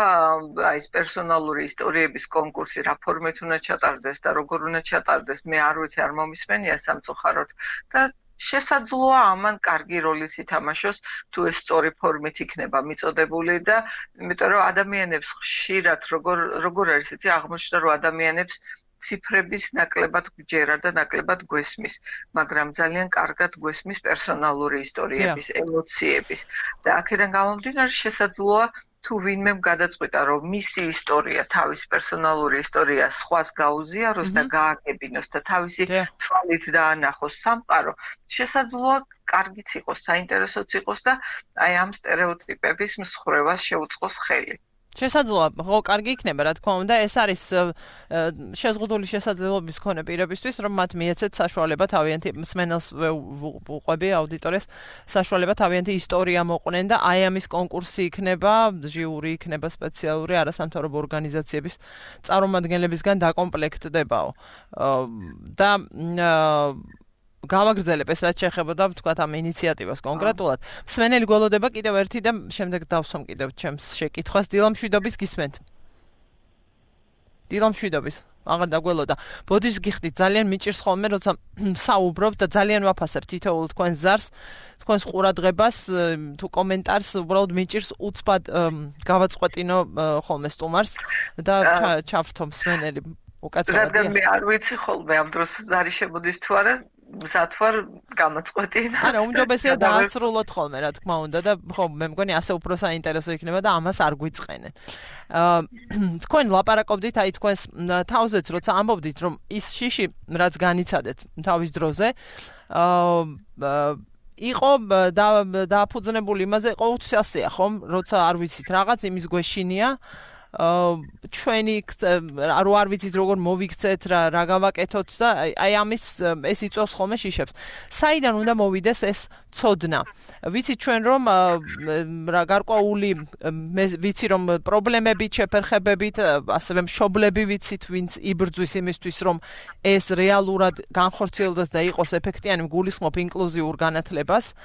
აი ეს პერსონალური ისტორიების კონკურსი რა ფორმით უნდა ჩატარდეს და როგორ უნდა ჩატარდეს, მე არ ვიცი, არ მომისმენია სამწუხაროდ და შესაძლოა ამან კარგი როლიც ითამაშოს, თუ ეს სწორი ფორმით იქნება მიწოდებული და იმიტომ რომ ადამიანებს ხშირად როგორ როგორ არის იცი, აღმოჩნდა რომ ადამიანებს ციფრების ნაკლებად გჯერა და ნაკლებად გვესმის, მაგრამ ძალიან კარგად გვესმის პერსონალური ისტორიების, ემოციების და აქედან გამომდინარე შესაძლოა თუ ვინმემ გადაწყვიტა, რომ მისი ისტორია, თავისი პერსონალური ისტორია სხვას გაუზიაროს და გააგებინოს და თავისი თვალით დაანახოს სამყარო, შესაძლოა კარგიც იყოს, საინტერესოც იყოს და აი ამ სტერეოტიპების მსხრევას შეუწყოს ხელი. შესაძლოა, ხო, კარგი იქნება, რა თქმა უნდა, ეს არის შეზღუდული შესაძლებლობის მქონე პირებისთვის, რომ მათ მიეცეთ საშუალება თავიანთი მსმენელს უყვები აუდიტორიას საშუალება თავიანთი ისტორია მოყვნენ და აი ამის კონკურსი იქნება, ჟიური იქნება სპეციალური არასამთავრობო ორგანიზაციების წარმომადგენლებისგან დაკომპლექტდებაო. და გავაგრძელებ ეს რაც შეეხებოდა ვთქვათ ამ ინიციატივას კონკრეტულად. მსმენელი გველოდება კიდევ ერთი და შემდეგ დავსვამ კიდევ ჩემს შეკითხვას. დილამშვიდობის გისმენთ. დილამშვიდობის. აღარ დაგველოდა. ბოდიშს გიხდით, ძალიან მიჭირს ხოლმე, როცა საუბრობ და ძალიან ვაფასებ თითოეულ თქვენ ზარს, თქვენს ყურადღებას, თუ კომენტარს უბრალოდ მიჭირს უცბად გავაწყვეტინო ხოლმე სტუმარს და ჩავრთო მსმენელი უკაცრავად. რადგან მე არ ვიცი ხოლმე ამ დროს ზარი შემოდის თუ არა, მზად ვარ გამაწყვეტინა. არა, უმჯობესია დაასრულოთ ხოლმე, რა თქმა უნდა და ხო, მე მგონი ასე უფრო საინტერესო იქნება და ამას არ გვიწყენენ. აა თქვენ ლაპარაკობდით, აი თქვენს თავზეც როცა ამბობდით, რომ ის შიში, რაც განიცადეთ თავის დროზე, აა იყო დააფუძნებული იმაზე, ყოველთვის ასეა, ხომ, როცა არ ვიცით რაღაც, იმის გვეშინია. ჩვენი რო არ ვიცით როგორ მოვიქცეთ რა რა გავაკეთოთ და აი ამის ეს იწვევს ხოლმე შიშებს. საიდან უნდა მოვიდეს ეს ცოდნა? ვიცით ჩვენ რომ რა გარკვეული ვიცი რომ პრობლემებით, შეფერხებებით, ასევე მშობლები ვიცით, ვინც იბრძვის იმისთვის რომ ეს რეალურად განხორციელდეს და იყოს ეფექტიანი, გულისხმობ ინკლუზიურ განათლებას.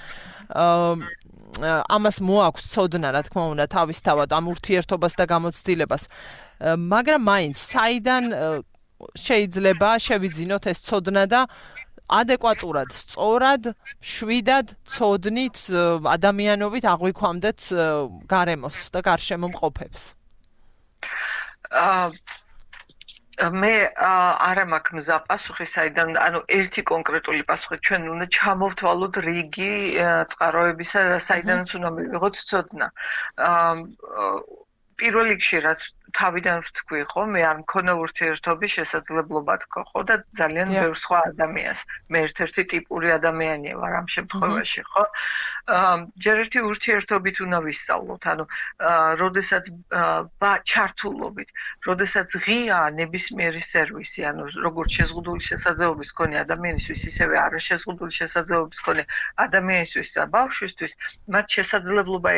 ამას მოაქვს ცოდნა, რა თქმა უნდა, თავისთავად ამ ურთიერთობას და გამოცდილებას. მაგრამ მაინც საიდან შეიძლება შევიძინოთ ეს ცოდნა და ადეკვატურად, სწორად, შვიდად ცოდნით, ადამიანობით აღვიქვამდეთ გარემოს და გარშემო მყოფებს. აა მე არ მაქვს მზა პასუხი საიდან, ანუ ერთი კონკრეტული პასუხი ჩვენ უნდა ჩამოვთვალოთ რიგი წყაროებისა, საიდანაც უნდა მივიღოთ ცოდნა. პირველ რიგში რაც თავიდან ვთქვი, ხო, მე არ მქონა ურთიერთობის შესაძლებლობა თქო, ხო და ძალიან ბევრ სხვა ადამიანს. მე ერთ-ერთი ტიპური ადამიანია ვარ ამ შემთხვევაში, ხო? ჯერ ერთი ურთიერთობით უნდა ვისწავლოთ, ანუ როდესაც ჩართულობით, როდესაც ღიაა ნებისმიერი სერვისი, ანუ როგორც შეზღუდული შესაძლებლობის მქონე ადამიანისთვის, ისევე არაშეზღუდული შესაძლებლობის მქონე ადამიანისთვის და ბავშვისთვის, მათ შესაძლებლობა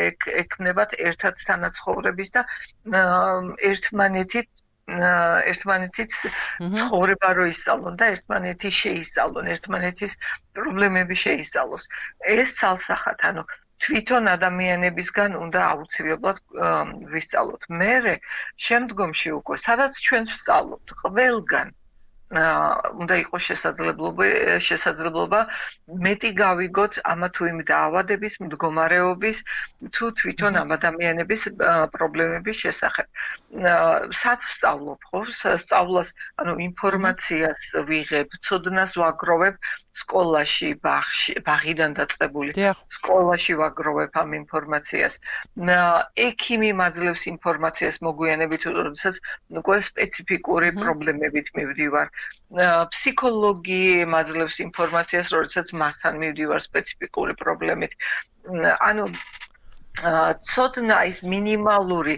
ექნებათ ერთად თანაცხოვრების და ერთმანეთით ერთმანეთით ცხოვრება რო ისწავლონ და ერთმანეთი შეისწავლონ, ერთმანეთის პრობლემები შეისწავლოს. ეს ცალსახად, ანუ თვითონ ადამიანებისგან უნდა აუცილებლად ვისწავლოთ. მერე შემდგომში უკვე, სადაც ჩვენ ვსწავლობთ ყველგან უნდა იყოს შესაძლებლობა შესაძლებლობა მეტი გავიგოთ ამა თუ იმ დაავადების, მდგომარეობის თუ თვითონ ამ ადამიანების პრობლემების შესახებ. სად ვსწავლობ, ხო? სწავლას, ანუ ინფორმაციას ვიღებ, ცოდნას ვაგროვებ სკოლაში, ბაღში, ბაღიდან დაწყებული. სკოლაში ვაგროვებ ამ ინფორმაციას. ექიმი მაძლევს ინფორმაციას მოგვიანებით, როდესაც უკვე სპეციფიკური პრობლემებით მივდივარ. ფსიქოლოგი მაძლევს ინფორმაციას, როდესაც მასთან მივდივარ სპეციფიკური პრობლემით. ანუ ცოდნა ის მინიმალური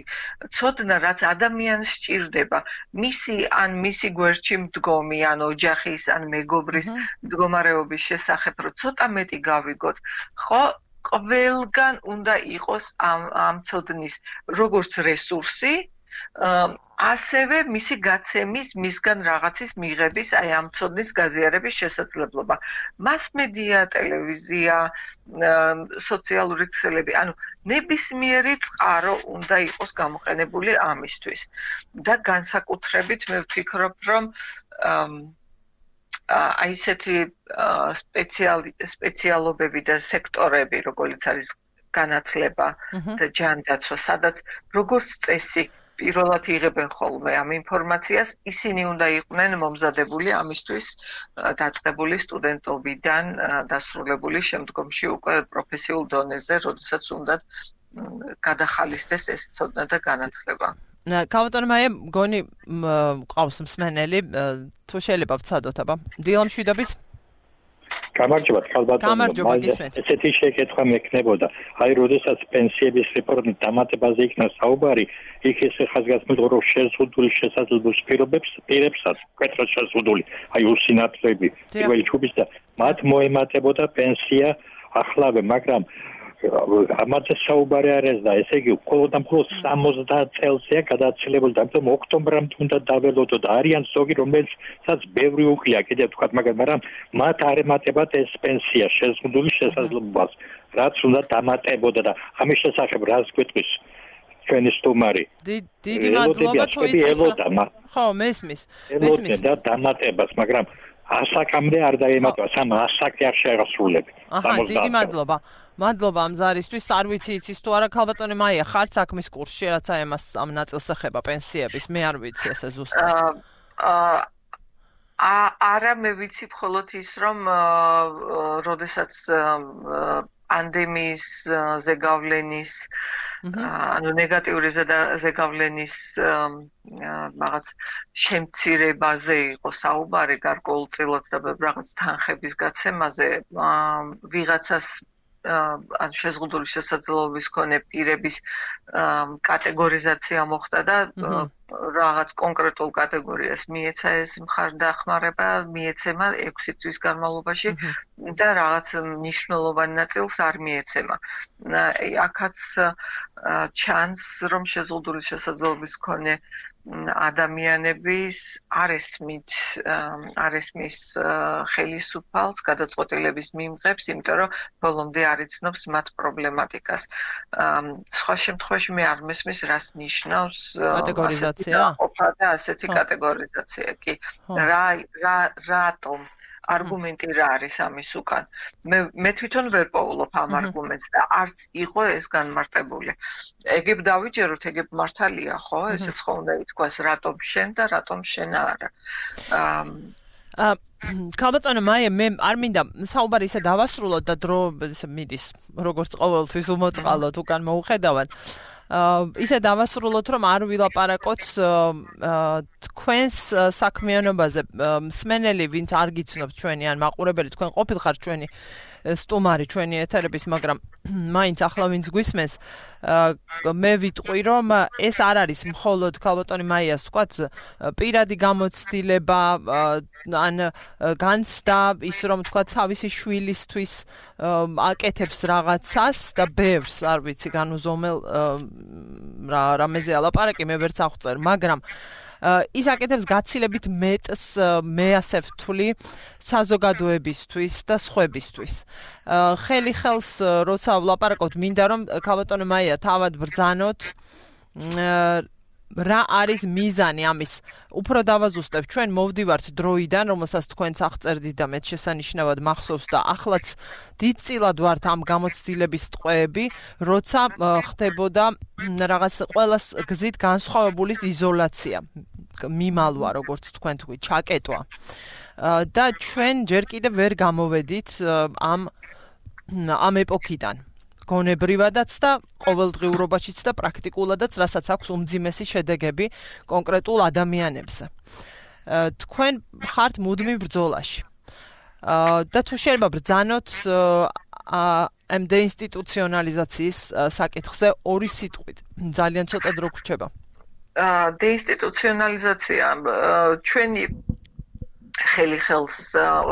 ცოდნა, რაც ადამიანს სჭირდება, მისი ან მისი გვერდში მდგომი, ან ოჯახის, ან მეგობრის მდგომარეობის შესახებ, რომ ცოტა მეტი გავიგოთ, ხო? ყველგან უნდა იყოს ამ ამ ცოდნის როგორც რესურსი, ასევე მისი გაცემის, მისგან რაღაცის მიღების, აი ამ ცოდნის გაზიარების შესაძლებლობა. მასმედია, ტელევიზია, სოციალური ქსელები, ანუ ნებისმიერი წყარო უნდა იყოს გამოყენებული ამისთვის. და განსაკუთრებით მე ვფიქრობ, რომ აი ესეთი სპეციალობები და სექტორები, როგორც არის განათლება და ჯანდაცვა, სადაც როგორც წესი პირველად იღებენ ხოლმე ამ ინფორმაციას, ისინი უნდა იყვნენ მომზადებული ამისთვის დაწყებული სტუდენტობიდან დასრულებული შემდგომში უკვე პროფესიულ დონეზე, როდესაც უნდა გადახალისდეს ეს ცოდნა და განათლება. კავატონ მაია, მგონი ყავს მსმენელი, თუ შეიძლება ვცადოთ, აბა. დილამშვიდობის. გამარჯობა, ხალბატონო. ესეთი შეკითხვა მექნებოდა. აი, როდესაც პენსიების რეფორმის დამატებაზე იქნა საუბარი, იქ ესე ხაზგასმულიყო, რომ შეზღუდული შესაძლებლობის პირობებს, პირებსაც, მკვეთრად შეზღუდული, აი უსინათლოები, პირველი ჯგუფის და მათ მოემატებოდა პენსია ახლავე, მაგრამ ამაზე საუბარი არ ეს და ესე იგი მხოლოდ და მხოლოდ სამოცდაათ წელზეა გადაცილებული და ამიტომ ოქტომბრამდე უნდა დაველოდო და არიან ზოგი რომელსაც ბევრი უკლია კიდევ თქვათ მაგრამ მათ არ ემატებათ ეს პენსია შეზღუდული შესაძლებლობას რაც უნდა დამატებოდა და ამის შესახებ რას გვეტყვის ჩვენი სტუმარი. დიდი მადლობა თუ იცით. ხო, მესმის. მესმის და დამატებას, მაგრამ ასაკამდე არ დაემატვა, სამ ასაკი არ შეასრულები. აჰა, დიდი მადლობა. მადლობა ამ ზარისთვის, არ ვიცი იცის თუ არა ქალბატონი მაია, ხარ საქმის კურსში, რაც აი ამას ამ ნაწილს ეხება პენსიების, მე არ ვიცი ესე ზუსტად. აა არა მე ვიცი მხოლოდ ის რომ როდესაც პანდემიის ზეგავლენის ანუ ნეგატიური ზეგავლენის რაღაც შემცირებაზე იყო საუბარი გარკვეულწილად და რაღაც თანხების გაცემაზე ვიღაცას ან შეზღუდული შესაძლებლობის მქონე პირების კატეგორიზაცია მოხდა და რაღაც კონკრეტულ კატეგორიას მიეცა ეს მხარდახმარება, მიეცემა ექვსი თვის განმავლობაში და რაღაც მნიშვნელოვანი ნაწილს არ მიეცემა. აქაც ჩანს, რომ შეზღუდული შესაძლებლობის მქონე ადამიანების არ ესმით არ ესმის ხელისუფალს გადაწყვეტილების მიმღებს, იმიტომ რომ ბოლომდე არ იცნობს მათ პრობლემატიკას. სხვა შემთხვევაში მე არ მესმის რას ნიშნავს კატეგორიზაცია და ასეთი კატეგორიზაცია. კი, რა რა რატომ არგუმენტი რა არის ამის უკან? მე მე თვითონ ვერ პოულობ ამ არგუმენტს და არც იყო ეს განმარტებული. ეგებ დავიჯეროთ, ეგებ მართალია, ხო? ესეც ხო უნდა ითქვას, რატომ შენ და რატომ შენ არა. აა ქალბატონო მაია, მე არ მინდა საუბარი ისე დავასრულოთ და დრო მიდის, როგორც ყოველთვის უმოწყალოთ, უკან მოუხედავად. ისე დავასრულოთ, რომ არ ვილაპარაკოთ თქვენს საქმიანობაზე. მსმენელი, ვინც არ გიცნობთ ჩვენი ან მაყურებელი, თქვენ ყოფილხარ ჩვენი სტუმარი, ჩვენი ეთერების, მაგრამ მაინც ახლა ვინც გვისმენს, მე ვიტყვი, რომ ეს არ არის მხოლოდ ქალბატონი მაიას ვთქვათ, პირადი გამოცდილება ან განცდა, ის რომ თქვათ თავისი შვილისთვის აკეთებს რაღაცას და ბევრს, არ ვიცი, განუზომელ რა რამეზე ალაპარაკი, მე ვერც აღვწერ, მაგრამ ის აკეთებს გაცილებით მეტს, მე ასე ვთვლი, საზოგადოებისთვის და სხვებისთვის. ხელი ხელს როცა ვლაპარაკობთ, მინდა რომ ქალბატონო მაია თავად ბრძანოთ რა არის მიზანი ამის. უფრო დავაზუსტებ, ჩვენ მოვდივართ დროიდან, რომელსაც თქვენც აღწერდით და მეც შესანიშნავად მახსოვს და ახლაც დიდწილად ვართ ამ გამოცდილების ტყვეები, როცა ხდებოდა რაღაც ყველას გზით განსხვავებულის იზოლაცია, მიმალვა, როგორც თქვენ თქვი, ჩაკეტვა. და ჩვენ ჯერ კიდევ ვერ გამოვედით ამ ამ ეპოქიდან. გონებრივადაც და ყოველდღიურობაშიც და პრაქტიკულადაც, რასაც აქვს უმძიმესი შედეგები კონკრეტულ ადამიანებზე. თქვენ ხართ მუდმივ ბრძოლაში. და თუ შეიძლება ბრძანოთ ამ დეინსტიტუციონალიზაციის საკითხზე ორი სიტყვით. ძალიან ცოტა დრო გვრჩება. დეინსტიტუციონალიზაცია ჩვენი ხელი ხელს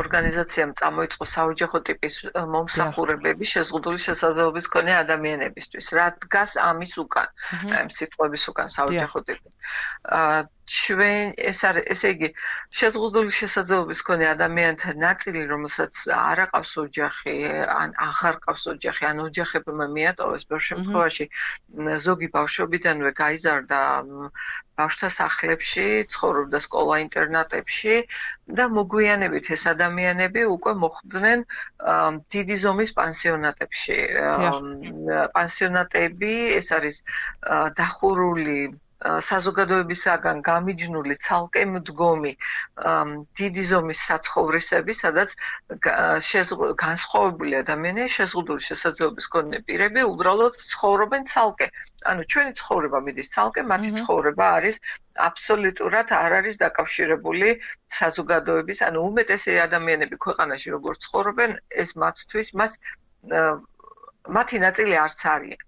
ორგანიზაციამ წამოიწყო საოჯახო ტიპის მომსახურებები შეზღუდული შესაძლებლობის მქონე ადამიანებისთვის. რა დგას ამის უკან, ამ სიტყვების უკან საოჯახო ტიპი. ჩვენ ეს არის, ესე იგი, შეზღუდული შესაძლებლობის მქონე ადამიანთა ნაწილი, რომელსაც არ აყავს ოჯახი, ან აღარ ყავს ოჯახი, ან ოჯახებმა მიატოვეს, ბევრ შემთხვევაში ზოგი ბავშვობიდანვე გაიზარდა ბავშვთა სახლებში, ცხოვრობდა სკოლა-ინტერნატებში და მოგვიანებით ეს ადამიანები უკვე მოხვდნენ დიდი ზომის პანსიონატებში. პანსიონატები, ეს არის დახურული საზოგადოებისაგან გამიჯნული ცალკე მდგომი დიდი ზომის საცხოვრისები, სადაც განსხვავებული ადამიანები, შეზღუდული შესაძლებლობის მქონე პირები უბრალოდ ცხოვრობენ ცალკე. ანუ ჩვენი ცხოვრება მიდის ცალკე, მათი ცხოვრება არის აბსოლუტურად არ არის დაკავშირებული საზოგადოების, ანუ უმეტესი ადამიანები ქვეყანაში როგორ ცხოვრობენ, ეს მათთვის მას მათი ნაწილი არც არიან.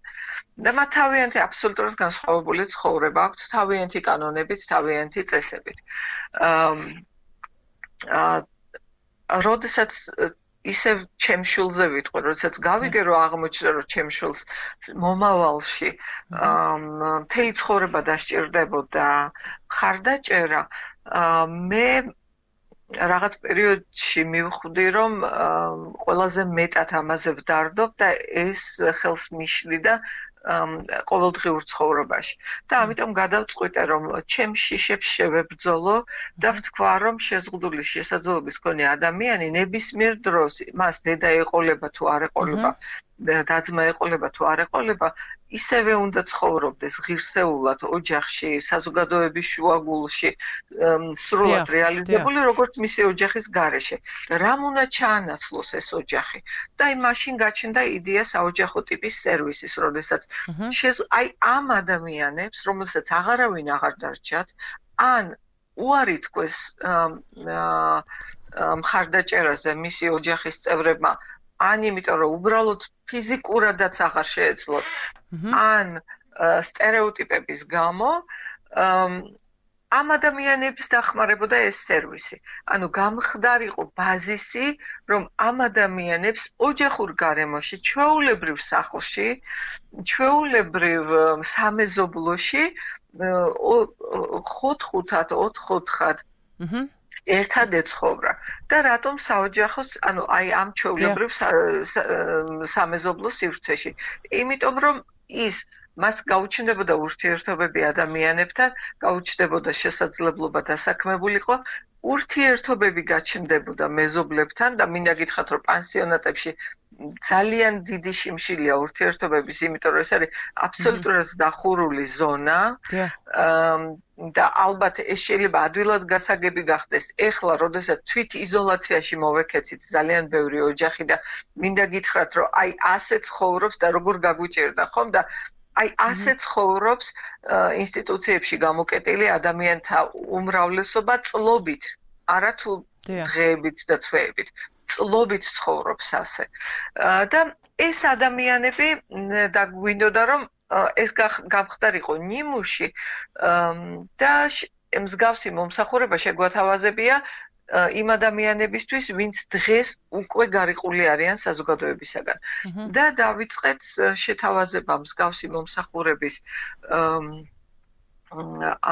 და მათ თავიანთი აბსოლუტურად განსხვავებული ცხოვრება აქვთ, თავიანთი კანონებით, თავიანთი წესებით. როდესაც ისევ ჩემ შვილზე ვიტყვი, როდესაც გავიგე, რომ აღმოჩნდა, რომ ჩემ შვილს მომავალში მთელი ცხოვრება დასჭირდებოდა მხარდაჭერა, მე რაღაც პერიოდში მივხვდი, რომ ყველაზე მეტად ამაზე ვდარდობ და ეს ხელს მიშლიდა ყოველდღიურ ცხოვრებაში. და ამიტომ გადავწყვიტე, რომ ჩემ შიშებს შევებრძოლო და ვთქვა, რომ შეზღუდული შესაძლებლობის მქონე ადამიანი ნებისმიერ დროს მას დედა ეყოლება თუ არ ეყოლება, და-ძმა ეყოლება თუ არ ეყოლება, ისევე უნდა ცხოვრობდეს ღირსეულად ოჯახში, საზოგადოების შუაგულში, სრულად რეალიზებული, როგორც მისი ოჯახის გარეშე. და რამ უნდა ჩაანაცვლოს ეს ოჯახი? და აი მაშინ გაჩნდა იდეა საოჯახო ტიპის სერვისის, როდესაც აი ამ ადამიანებს, რომელსაც აღარავინ აღარ დარჩათ, ან უარი თქვეს მხარდაჭერაზე მისი ოჯახის წევრებმა, ან იმიტომ რომ უბრალოდ ფიზიკურადაც აღარ შეეძლოთ, ან სტერეოტიპების გამო ამ ადამიანებს დახმარებოდა ეს სერვისი. ანუ გამხდარიყო ბაზისი, რომ ამ ადამიანებს ოჯახურ გარემოში, ჩვეულებრივ სახლში, ჩვეულებრივ სამეზობლოში ხუთ-ხუთად, ოთხ-ოთხად ერთად ეცხოვრა და რატომ საოჯახოს, ანუ აი ამ ჩვეულებრივ სამეზობლო სივრცეში. იმიტომ რომ ის მას გაუჩნდებოდა ურთიერთობები ადამიანებთან, გაუჩნდებოდა შესაძლებლობა დასაქმებულიყო, ურთიერთობები გაჩნდებოდა მეზობლებთან და მინდა გითხრათ, რომ პანსიონატებში ძალიან დიდი შიმშილია ურთიერთობების, იმიტომ რომ ეს არის აბსოლუტურად დახურული ზონა და ალბათ ეს შეიძლება ადვილად გასაგები გახდეს. ეხლა, როდესაც თვით იზოლაციაში მოვექეცით ძალიან ბევრი ოჯახი და მინდა გითხრათ, რომ აი ასე ცხოვრობს და როგორ გაგვიჭირდა, ხომ და აი ასე ცხოვრობს ინსტიტუციებში გამოკეტილი ადამიანთა უმრავლესობა წლობით, არა თუ დღეებით და თვეებით. წლობით ცხოვრობს ასე. და ეს ადამიანები და გვინდოდა რომ ეს გამხდარიყო ნიმუში და მსგავსი მომსახურება შეგვათავაზებია იმ ადამიანებისთვის, ვინც დღეს უკვე გარიყული არიან საზოგადოებისაგან. და დავიწყეთ შეთავაზება მსგავსი მომსახურების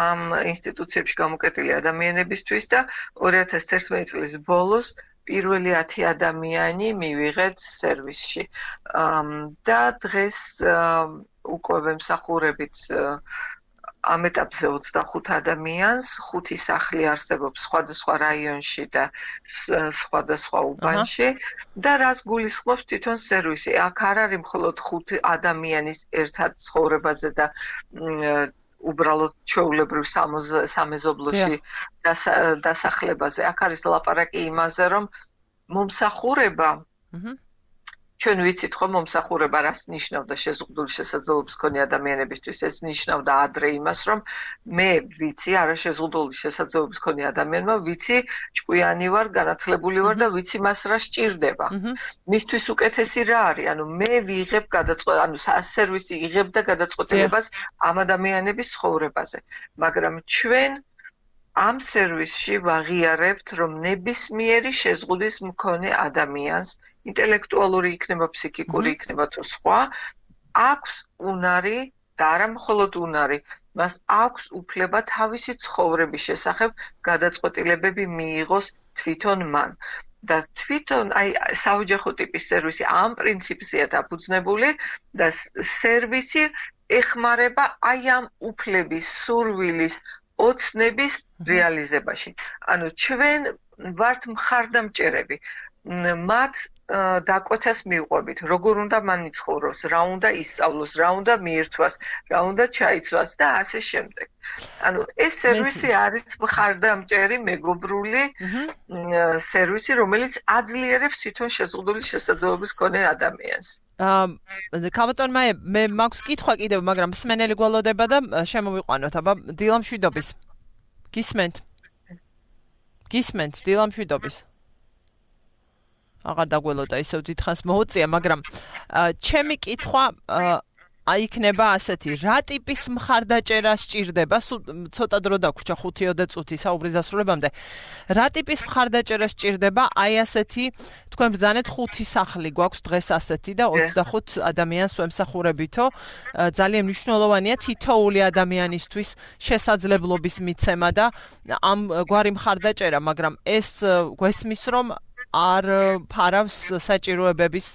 ამ ინსტიტუციებში გამოკეტილი ადამიანებისთვის და ორი ათას თერთმეტი წლის ბოლოს პირველი ათი ადამიანი მივიღეთ სერვისში. და დღეს უკვე ვემსახურებით ამ ეტაპზე ოცდახუთ ადამიანს, ხუთი სახლი არსებობს სხვადასხვა რაიონში და სხვადასხვა უბანში და რას გულისხმობს თვითონ სერვისი. აქ არ არის მხოლოდ ხუთი ადამიანის ერთად ცხოვრებაზე და უბრალოდ ჩვეულებრივ სამეზობლოში დასახლებაზე. აქ არის ლაპარაკი იმაზე, რომ მომსახურება ჩვენ ვიცით ხო მომსახურება რას ნიშნავდა შეზღუდული შესაძლებლობის მქონე ადამიანებისთვის. ეს ნიშნავდა ადრე იმას, რომ მე ვიცი არაშეზღუდული შესაძლებლობის მქონე ადამიანმა, ვიცი ჭკვიანი ვარ, განათლებული ვარ და ვიცი მას რა სჭირდება. მისთვის უკეთესი რა არის? ანუ მე ვიღებ გადაწყვეტილებას, ანუ სერვისი იღებდა გადაწყვეტილებას ამ ადამიანების ცხოვრებაზე. მაგრამ ჩვენ ამ სერვისში ვაღიარებთ, რომ ნებისმიერი შეზღუდის მქონე ადამიანს, ინტელექტუალური იქნება, ფსიქიკური იქნება თუ სხვა, აქვს უნარი და არა მხოლოდ უნარი, მას აქვს უფლება თავისი ცხოვრების შესახებ გადაწყვეტილებები მიიღოს თვითონ მან. და თვითონ აი საოჯახო ტიპის სერვისი ამ პრინციპზეა დაფუძნებული და სერვისი ეხმარება აი ამ უფლების, სურვილის, ოცნების რეალიზებაში. ანუ ჩვენ ვართ მხარდამჭერები. მათ დაკვეთას მივყვებით, როგორ უნდა მან იცხოვროს, რა უნდა ისწავლოს, რა უნდა მიირთვას, რა უნდა ჩაიცვას და ასე შემდეგ. ანუ ეს სერვისი არის მხარდამჭერი, მეგობრული სერვისი, რომელიც აძლიერებს თვითონ შეზღუდული შესაძლებლობის მქონე ადამიანს. ქალბატონ მაია, მე მაქვს კითხვა კიდევ, მაგრამ მსმენელი გველოდება და შემოვიყვანოთ, აბა დილა მშვიდობის. გისმენთ? გისმენთ დილა მშვიდობის. აღარ დაგველოდა ისევ დიდხანს მოუწია, მაგრამ ჩემი კითხვა აიქნება ასეთი, რა ტიპის მხარდაჭერა სჭირდება, ცოტა დრო დაგვრჩა ხუთი ოცდაოთხ წუთი საუბრის დასრულებამდე. რა ტიპის მხარდაჭერა სჭირდება აი ასეთი, თქვენ ბრძანეთ ხუთი სახლი გვაქვს დღეს ასეთი და ოცდახუთ ადამიანს ვემსახურებითო. ძალიან მნიშვნელოვანია თითოეული ადამიანისთვის შესაძლებლობის მიცემა და ამ გვარი მხარდაჭერა, მაგრამ ეს გვესმის, რომ არ ფარავს საჭიროებების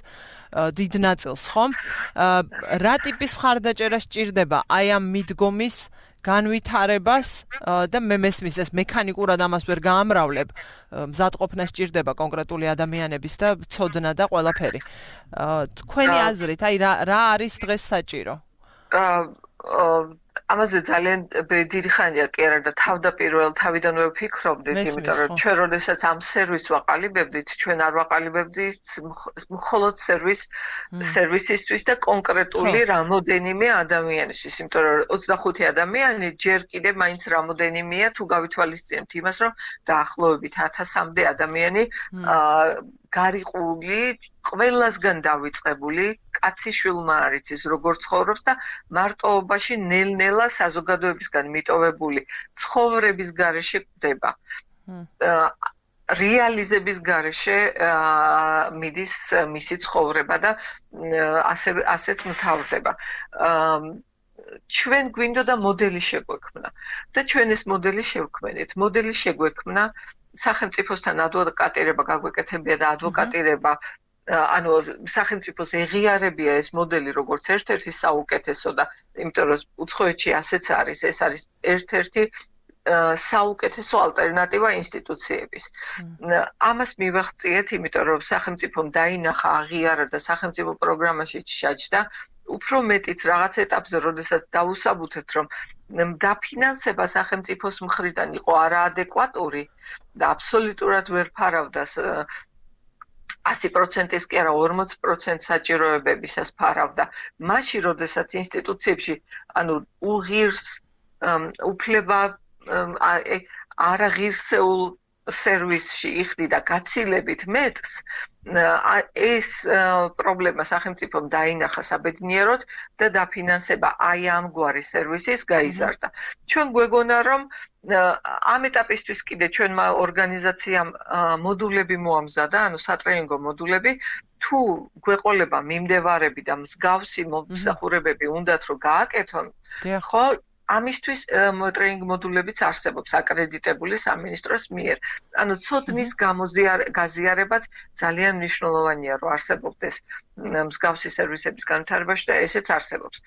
დიდ ნაწილს, ხომ? რა ტიპის მხარდაჭერა სჭირდება აი ამ მიდგომის განვითარებას და მე მესმის ეს მექანიკურად ამას ვერ გაამრავლებ, მზადყოფნა სჭირდება კონკრეტული ადამიანების და ცოდნა და ყველაფერი. თქვენი აზრით, აი რა რა არის დღეს საჭირო? ამაზე ძალიან დიდი ხანია კი არა და თავდაპირველ თავიდანვე ვფიქრობდით, იმიტომ რომ ჩვენ როდესაც ამ სერვისს ვაყალიბებდით, ჩვენ არ ვაყალიბებდით მხოლოდ სერვის სერვისისთვის და კონკრეტული რამოდენიმე ადამიანისთვის, იმიტომ რომ ოცდახუთი ადამიანი ჯერ კიდე მაინც რამოდენიმეა თუ გავითვალისწინებთ იმას, რომ დაახლოებით ათასამდე ადამიანი გარიყული, ყველასგან დავიწყებული, კაცი შვილმა არ იცის როგორ ცხოვრობს და მარტოობაში ნელ-ნელა საზოგადოებისგან მიტოვებული ცხოვრების გარეშე კვდება. რეალიზების გარეშე მიდის მისი ცხოვრება და ასე ასეც მთავრდება. ჩვენ გვინდოდა მოდელი შეგვექმნა და ჩვენ ეს მოდელი შევქმნით. მოდელი შეგვექმნა სახელმწიფოსთან ადვოკატირება გაგვეკეთებია და ადვოკატირება ანუ სახელმწიფოს ეღიარებია ეს მოდელი როგორც ერთ-ერთი საუკეთესო და იმიტომ რომ უცხოეთში ასეც არის, ეს არის ერთ-ერთი საუკეთესო ალტერნატივა ინსტიტუციების. ამას მივახციეთ, იმიტომ რომ სახელმწიფომ დაინახა, აღიარა და სახელმწიფო პროგრამაში ჩაჯდა უფრო მეტიც რაღაც ეტაპზე, როდესაც დაუსაბუთეთ, რომ დაფინანსება სახელმწიფოს მხრიდან იყო არაადეკვატური და აბსოლუტურად ვერ ფარავდა ასი პროცენტის კი არა ორმოც პროცენტს საჭიროებებისას ფარავდა. მაშინ, როდესაც ინსტიტუციებში, ანუ უღირს უფლება არაღირსეულ სერვისში იხდიდა გაცილებით მეტს, ეს პრობლემა სახელმწიფომ დაინახა საბედნიეროდ და დაფინანსება აი ამგვარი სერვისის გაიზარდა. ჩვენ გვეგონა, რომ ამ ეტაპისთვის კიდე ჩვენმა ორგანიზაციამ მოდულები მოამზადა, ანუ სატრენინგო მოდულები, თუ გვეყოლება მიმდევარები და მსგავსი მომსახურებები უნდათ რომ გააკეთონ, ხო, ამისთვის ტრენინგ მოდულებიც არსებობს აკრედიტებული სამინისტროს მიერ. ანუ ცოდნის გაზიარებაც ძალიან მნიშვნელოვანია, რომ არსებობდეს მსგავსი სერვისების განვითარებაში და ესეც არსებობს.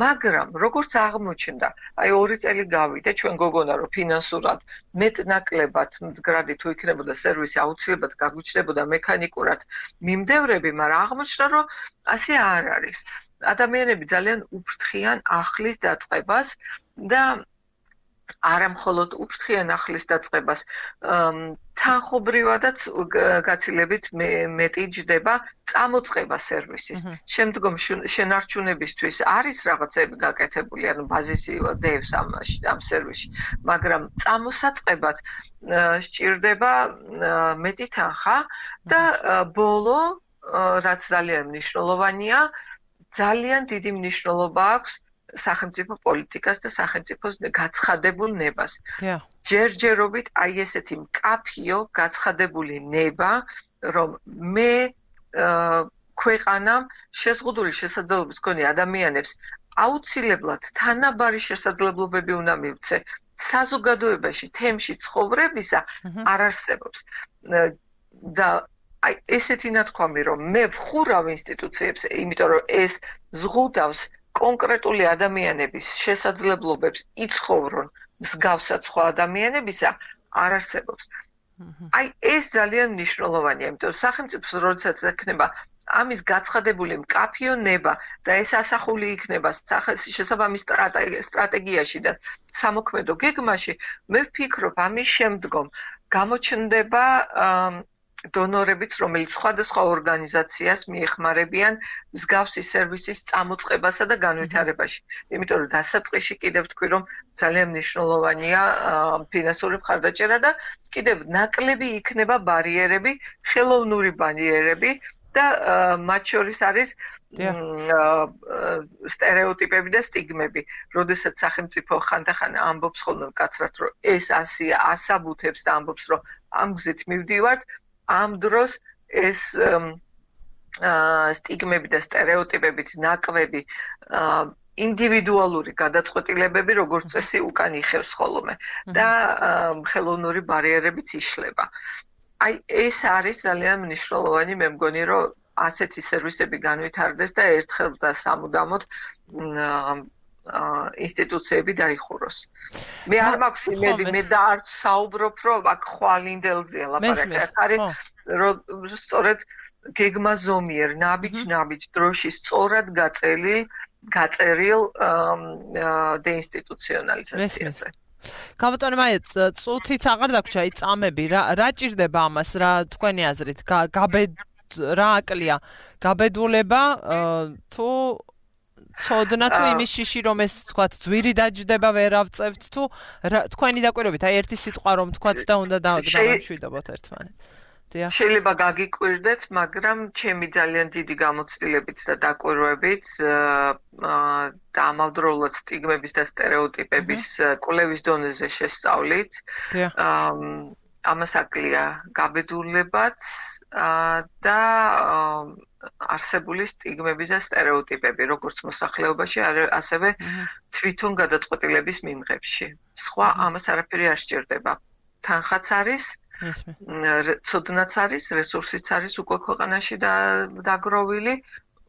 მაგრამ როგორც აღმოჩნდა, აი ორი წელი გავიდა, ჩვენ გოგონა რომ ფინანსურად მეტნაკლებად მდგრადი თუ იქნებოდა სერვისი აუცილებლად გაგვიჩნდებოდა მექანიკურად მიმდევრები, მაგრამ აღმოჩნდა რომ ასე არ არის. ადამიანები ძალიან უფრთხიან ახლის დაწყებას და არა მხოლოდ უფრთხიან ახლის დაწყებას, თანხობრივადაც გაცილებით მეტი ჯდება წამოწყება სერვისის. შემდგომ შენარჩუნებისთვის არის რაღაცები გაკეთებული, ანუ ბაზისი დევს ამ სერვისში, მაგრამ წამოსაწყებად სჭირდება მეტი თანხა და ბოლო, რაც ძალიან მნიშვნელოვანია, ძალიან დიდი მნიშვნელობა აქვს სახელმწიფო პოლიტიკას და სახელმწიფოს გაცხადებულ ნებას. ჯერჯერობით აი ესეთი მკაფიო გაცხადებული ნება, რომ მე ქვეყანამ შეზღუდული შესაძლებლობის მქონე ადამიანებს აუცილებლად თანაბარი შესაძლებლობები უნდა მივცე საზოგადოებაში თემში ცხოვრებისა არ არსებობს. და აი ესეთი ნათქვამი, რომ მე ვხურავ ინსტიტუციებს, იმიტომ რომ ეს ზღუდავს კონკრეტული ადამიანების შესაძლებლობებს იცხოვრონ მსგავსად სხვა ადამიანებისა, არ არსებობს. აი ეს ძალიან მნიშვნელოვანია, იმიტომ რომ სახელმწიფოს როდესაც ექნება ამის გაცხადებული მკაფიო ნება და ეს ასახული იქნება შესაბამის სტრატეგიაში და სამოქმედო გეგმაში, მე ვფიქრობ ამის შემდგომ გამოჩნდება დონორებიც, რომელიც სხვადასხვა ორგანიზაციას მიეხმარებიან მსგავსი სერვისის წამოწყებასა და განვითარებაში. იმიტომ რომ დასაწყისში კიდევ ვთქვი, რომ ძალიან მნიშვნელოვანია ფინანსური მხარდაჭერა და კიდევ ნაკლები იქნება ბარიერები, ხელოვნური ბარიერები და მათ შორის არის სტერეოტიპები და სტიგმები. როდესაც სახელმწიფო ხანდახან ამბობს ხოლმე მკაცრად, რომ ეს ასია, ასაბუთებს და ამბობს, რომ ამ გზით მივდივართ, ამ დროს ეს სტიგმები და სტერეოტიპებით ნაკვები ინდივიდუალური გადაწყვეტილებები როგორც წესი უკან იხევს ხოლმე და ხელოვნური ბარიერებიც იშლება. აი ეს არის ძალიან მნიშვნელოვანი, მე მგონი, რომ ასეთი სერვისები განვითარდეს და ერთხელ და სამუდამოდ ინსტიტუციები დაიხუროს. მე არ მაქვს იმედი, მე და არ საუბრობ, რომ აქ ხვალინდელზეა ლაპარაკი. აქ არის სწორედ გეგმა ზომიერ, ნაბიჯ-ნაბიჯ დროში სწორად გაწელი, გაწერილ დეინსტიტუციონალიზაციაზე. კაბატონო მაია, წუთიც აღარ დაგვრჩა, აი წამები, რა რა ჭირდება ამას, რა თქვენი აზრით, გაბედ რა აკლია, გაბედულება თუ ცოდნა თუ იმის შიში რომ ეს თქვათ ძვირი დაჯდება ვერ ავწევთ თუ თქვენი დაკვირვებით აი ერთი სიტყვა რომ თქვათ და უნდა დავამშვიდობოთ ერთმანეთს. შეიძლება გაგიკვირდეთ, მაგრამ ჩემი ძალიან დიდი გამოცდილებით და დაკვირვებით და ამავდროულად სტიგმების და სტერეოტიპების კვლევის დონეზე შესწავლით. ამას აკლია გაბედულებაც და არსებული სტიგმები და სტერეოტიპები, როგორც მოსახლეობაში, ასევე თვითონ გადაწყვეტილების მიმღებში. სხვა ამას არაფერი არ სჭირდება. თანხაც არის, ცოდნაც არის, რესურსიც არის უკვე ქვეყანაში დაგროვილი,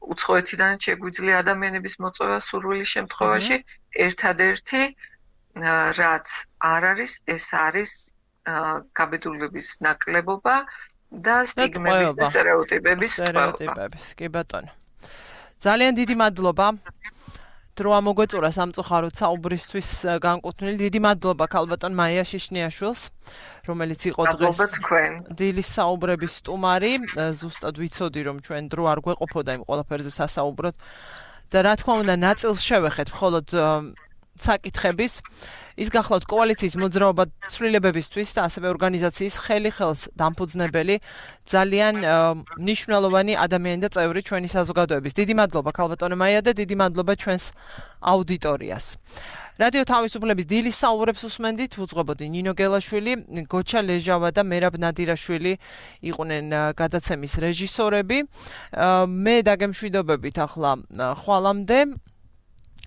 უცხოეთიდან შეგვიძლია ადამიანების მოწვევა სურვილის შემთხვევაში, ერთადერთი რაც არ არის, ეს არის გაბედულების ნაკლებობა და სტიგმების და სტერეოტიპების სტერეოტიპების. კი ბატონო. ძალიან დიდი მადლობა. დრო ამოგვეწურა სამწუხაროდ საუბრისთვის განკუთვნილი. დიდი მადლობა ქალბატონ მაია შიშნიაშვილს, რომელიც იყო დღეს დილის საუბრების სტუმარი. ზუსტად ვიცოდი რომ ჩვენ დრო არ გვეყოფოდა იმ ყველაფერზე სასაუბროთ და რა თქმა უნდა ნაწილს შევეხეთ მხოლოდ საკითხების ის გახლავთ კოალიციის მოძრაობა ცვლილებებისთვის და ასევე ორგანიზაციის ხელი ხელს დამფუძნებელი ძალიან მნიშვნელოვანი ადამიანი და წევრი ჩვენი საზოგადოების. დიდი მადლობა ქალბატონო მაია და დიდი მადლობა ჩვენს აუდიტორიას. რადიო თავისუფლების დილის საუბრებს უსმენდით, უძღვებოდი ნინო გელაშვილი, გოჩა ლეჟავა და მერაბ ნადირაშვილი იყვნენ გადაცემის რეჟისორები. მე დაგემშვიდობებით ახლა ხვალამდე.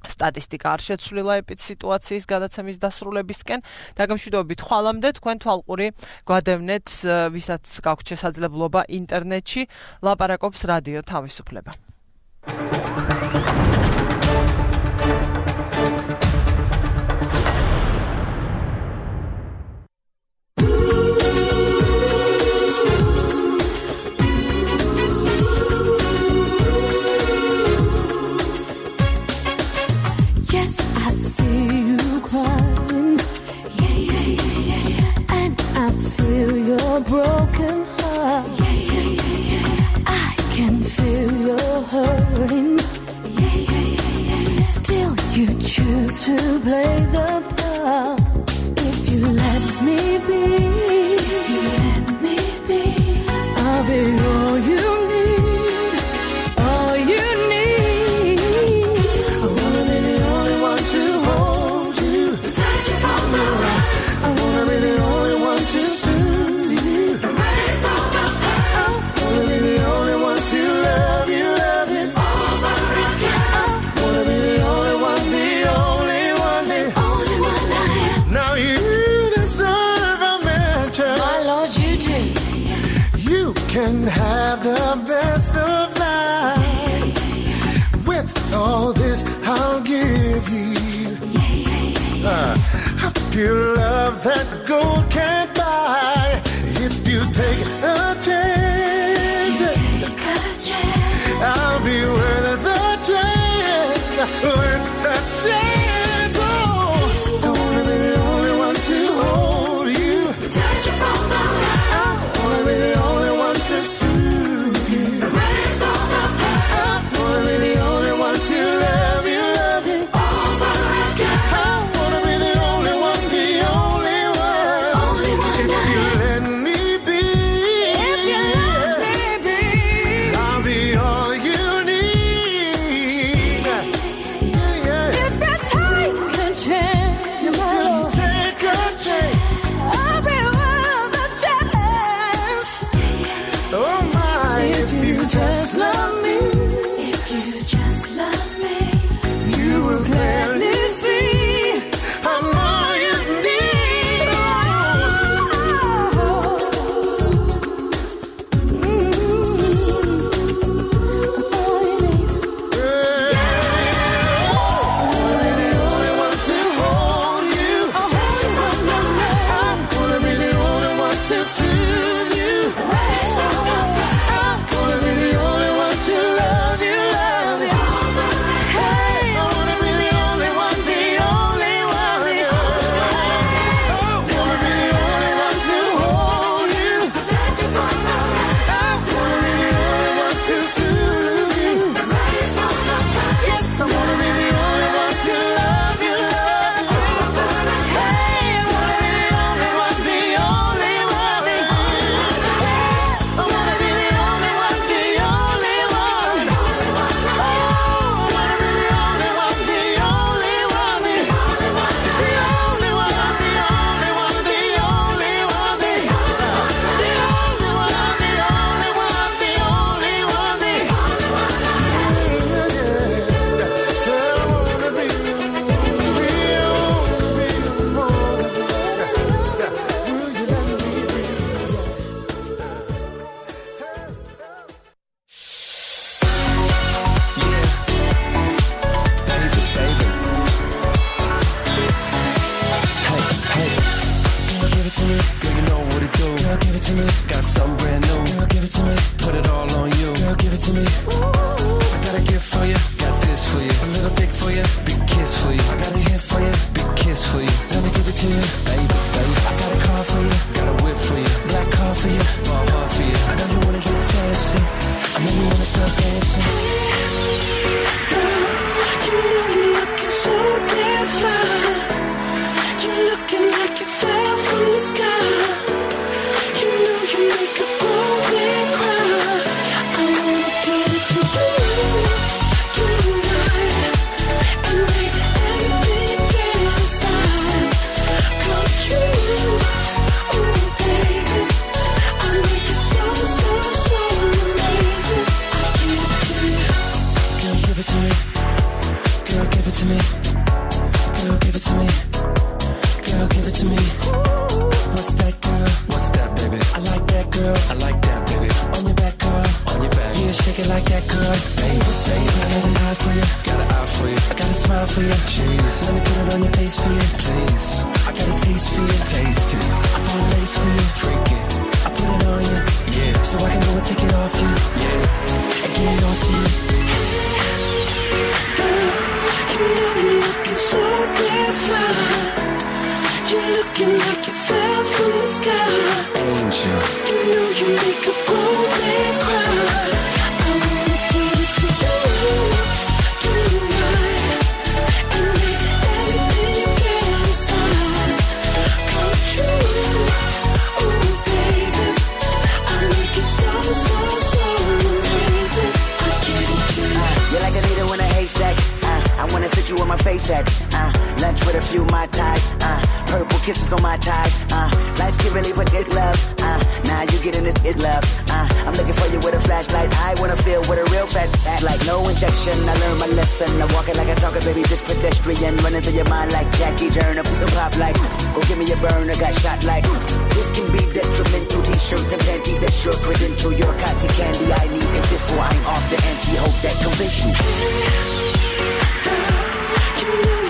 სტატისტიკა არ შეცვლილა ეპიდ სიტუაციის გადაცემის დასრულებისკენ. დაგემშვიდობებით ხვალამდე, თქვენ თვალყური გვადევნეთ, ვისაც გაქვთ შესაძლებლობა ინტერნეტში ლაპარაკობს რადიო თავისუფლება. Broken heart. Yeah, yeah, yeah, yeah, yeah. I can feel your hurting. Yeah, yeah, yeah, yeah, yeah. Still, you choose to play the part. If you let me be, you let me be. I'll be all you need, all you need. I wanna be the only one to hold you, touch you from the right. I wanna be the only one to soothe. Can have the best of life. With all this I'll give you uh, a pure love that gold can't buy. If you take a chance, take a chance. I'll be worth the chance, worth the chance. Oh, I wanna be the only one to hold you, touch you from the right. I wanna be the only one to soothe you, erase all the past. I wanna be the only one to love you, love you over again. I wanna be the only one, the only to me. Girl, you know what it do. Girl, give it to me. Got something brand new. Girl, give it to me. Put it all on you. Girl, give it to me. Ooh, I got a gift for you. Got this for you. A little dick for you. Big kiss for you. I got a hit for you. Big kiss for you. Let me give it to you, baby, baby. I got a car for you. Got a whip for you. Black car for you. Ball hard for you. I know you wanna get fancy. I know you wanna start dancing. Girl, you know you're looking so damn fine. You're looking like you fell from the sky. You know you make a grown man cry. I wanna give it to you tonight and make everything you fantasize come true. Oh baby, I make it so so so amazing. I give it to you. Girl, give it to me. Girl, give it to me. Girl, give it to me. Girl, give it to me. What's that, girl? What's that, baby? I like that, girl. I like that, baby. On your back, girl. On your back. Yeah, shake it like that, girl. Baby, baby. I got an eye for you. Got an eye for you. I got a smile for you. Jeez. Let me put it on your face for you. Please. I got a taste for you. Taste it. I bought lace for you. Freak it. I put it on you. Yeah. So I can go and take it off you. Yeah. And get it off to you. Girl, you know you're looking so damn fine. You're looking like you fell from the sky. Angel. You know you make a grown man cry. I wanna give it to you tonight and make everything you fantasize come true. Oh baby, I make it so so so amazing. I give it to you. Uh, you're like a needle in a haystack. Uh, I wanna sit you on my face at. Uh, lunch with a few my ties. Uh, Purple kisses on my tie. Uh, life can really put this love. Uh, now you getting this is love. Uh, I'm looking for you with a flashlight. I wanna feel with a real fat chat. Like no injection. I learned my lesson. I'm walking like I talk it, baby. This pedestrian running through your mind like Jackie Turner. Piece of pop like. Go give me a burner. Got shot like. This can be detrimental. T-shirt and panty. That's your credential. Your cotton candy. I need it. This for I'm off the N C. Hope that convince you. Girl, you know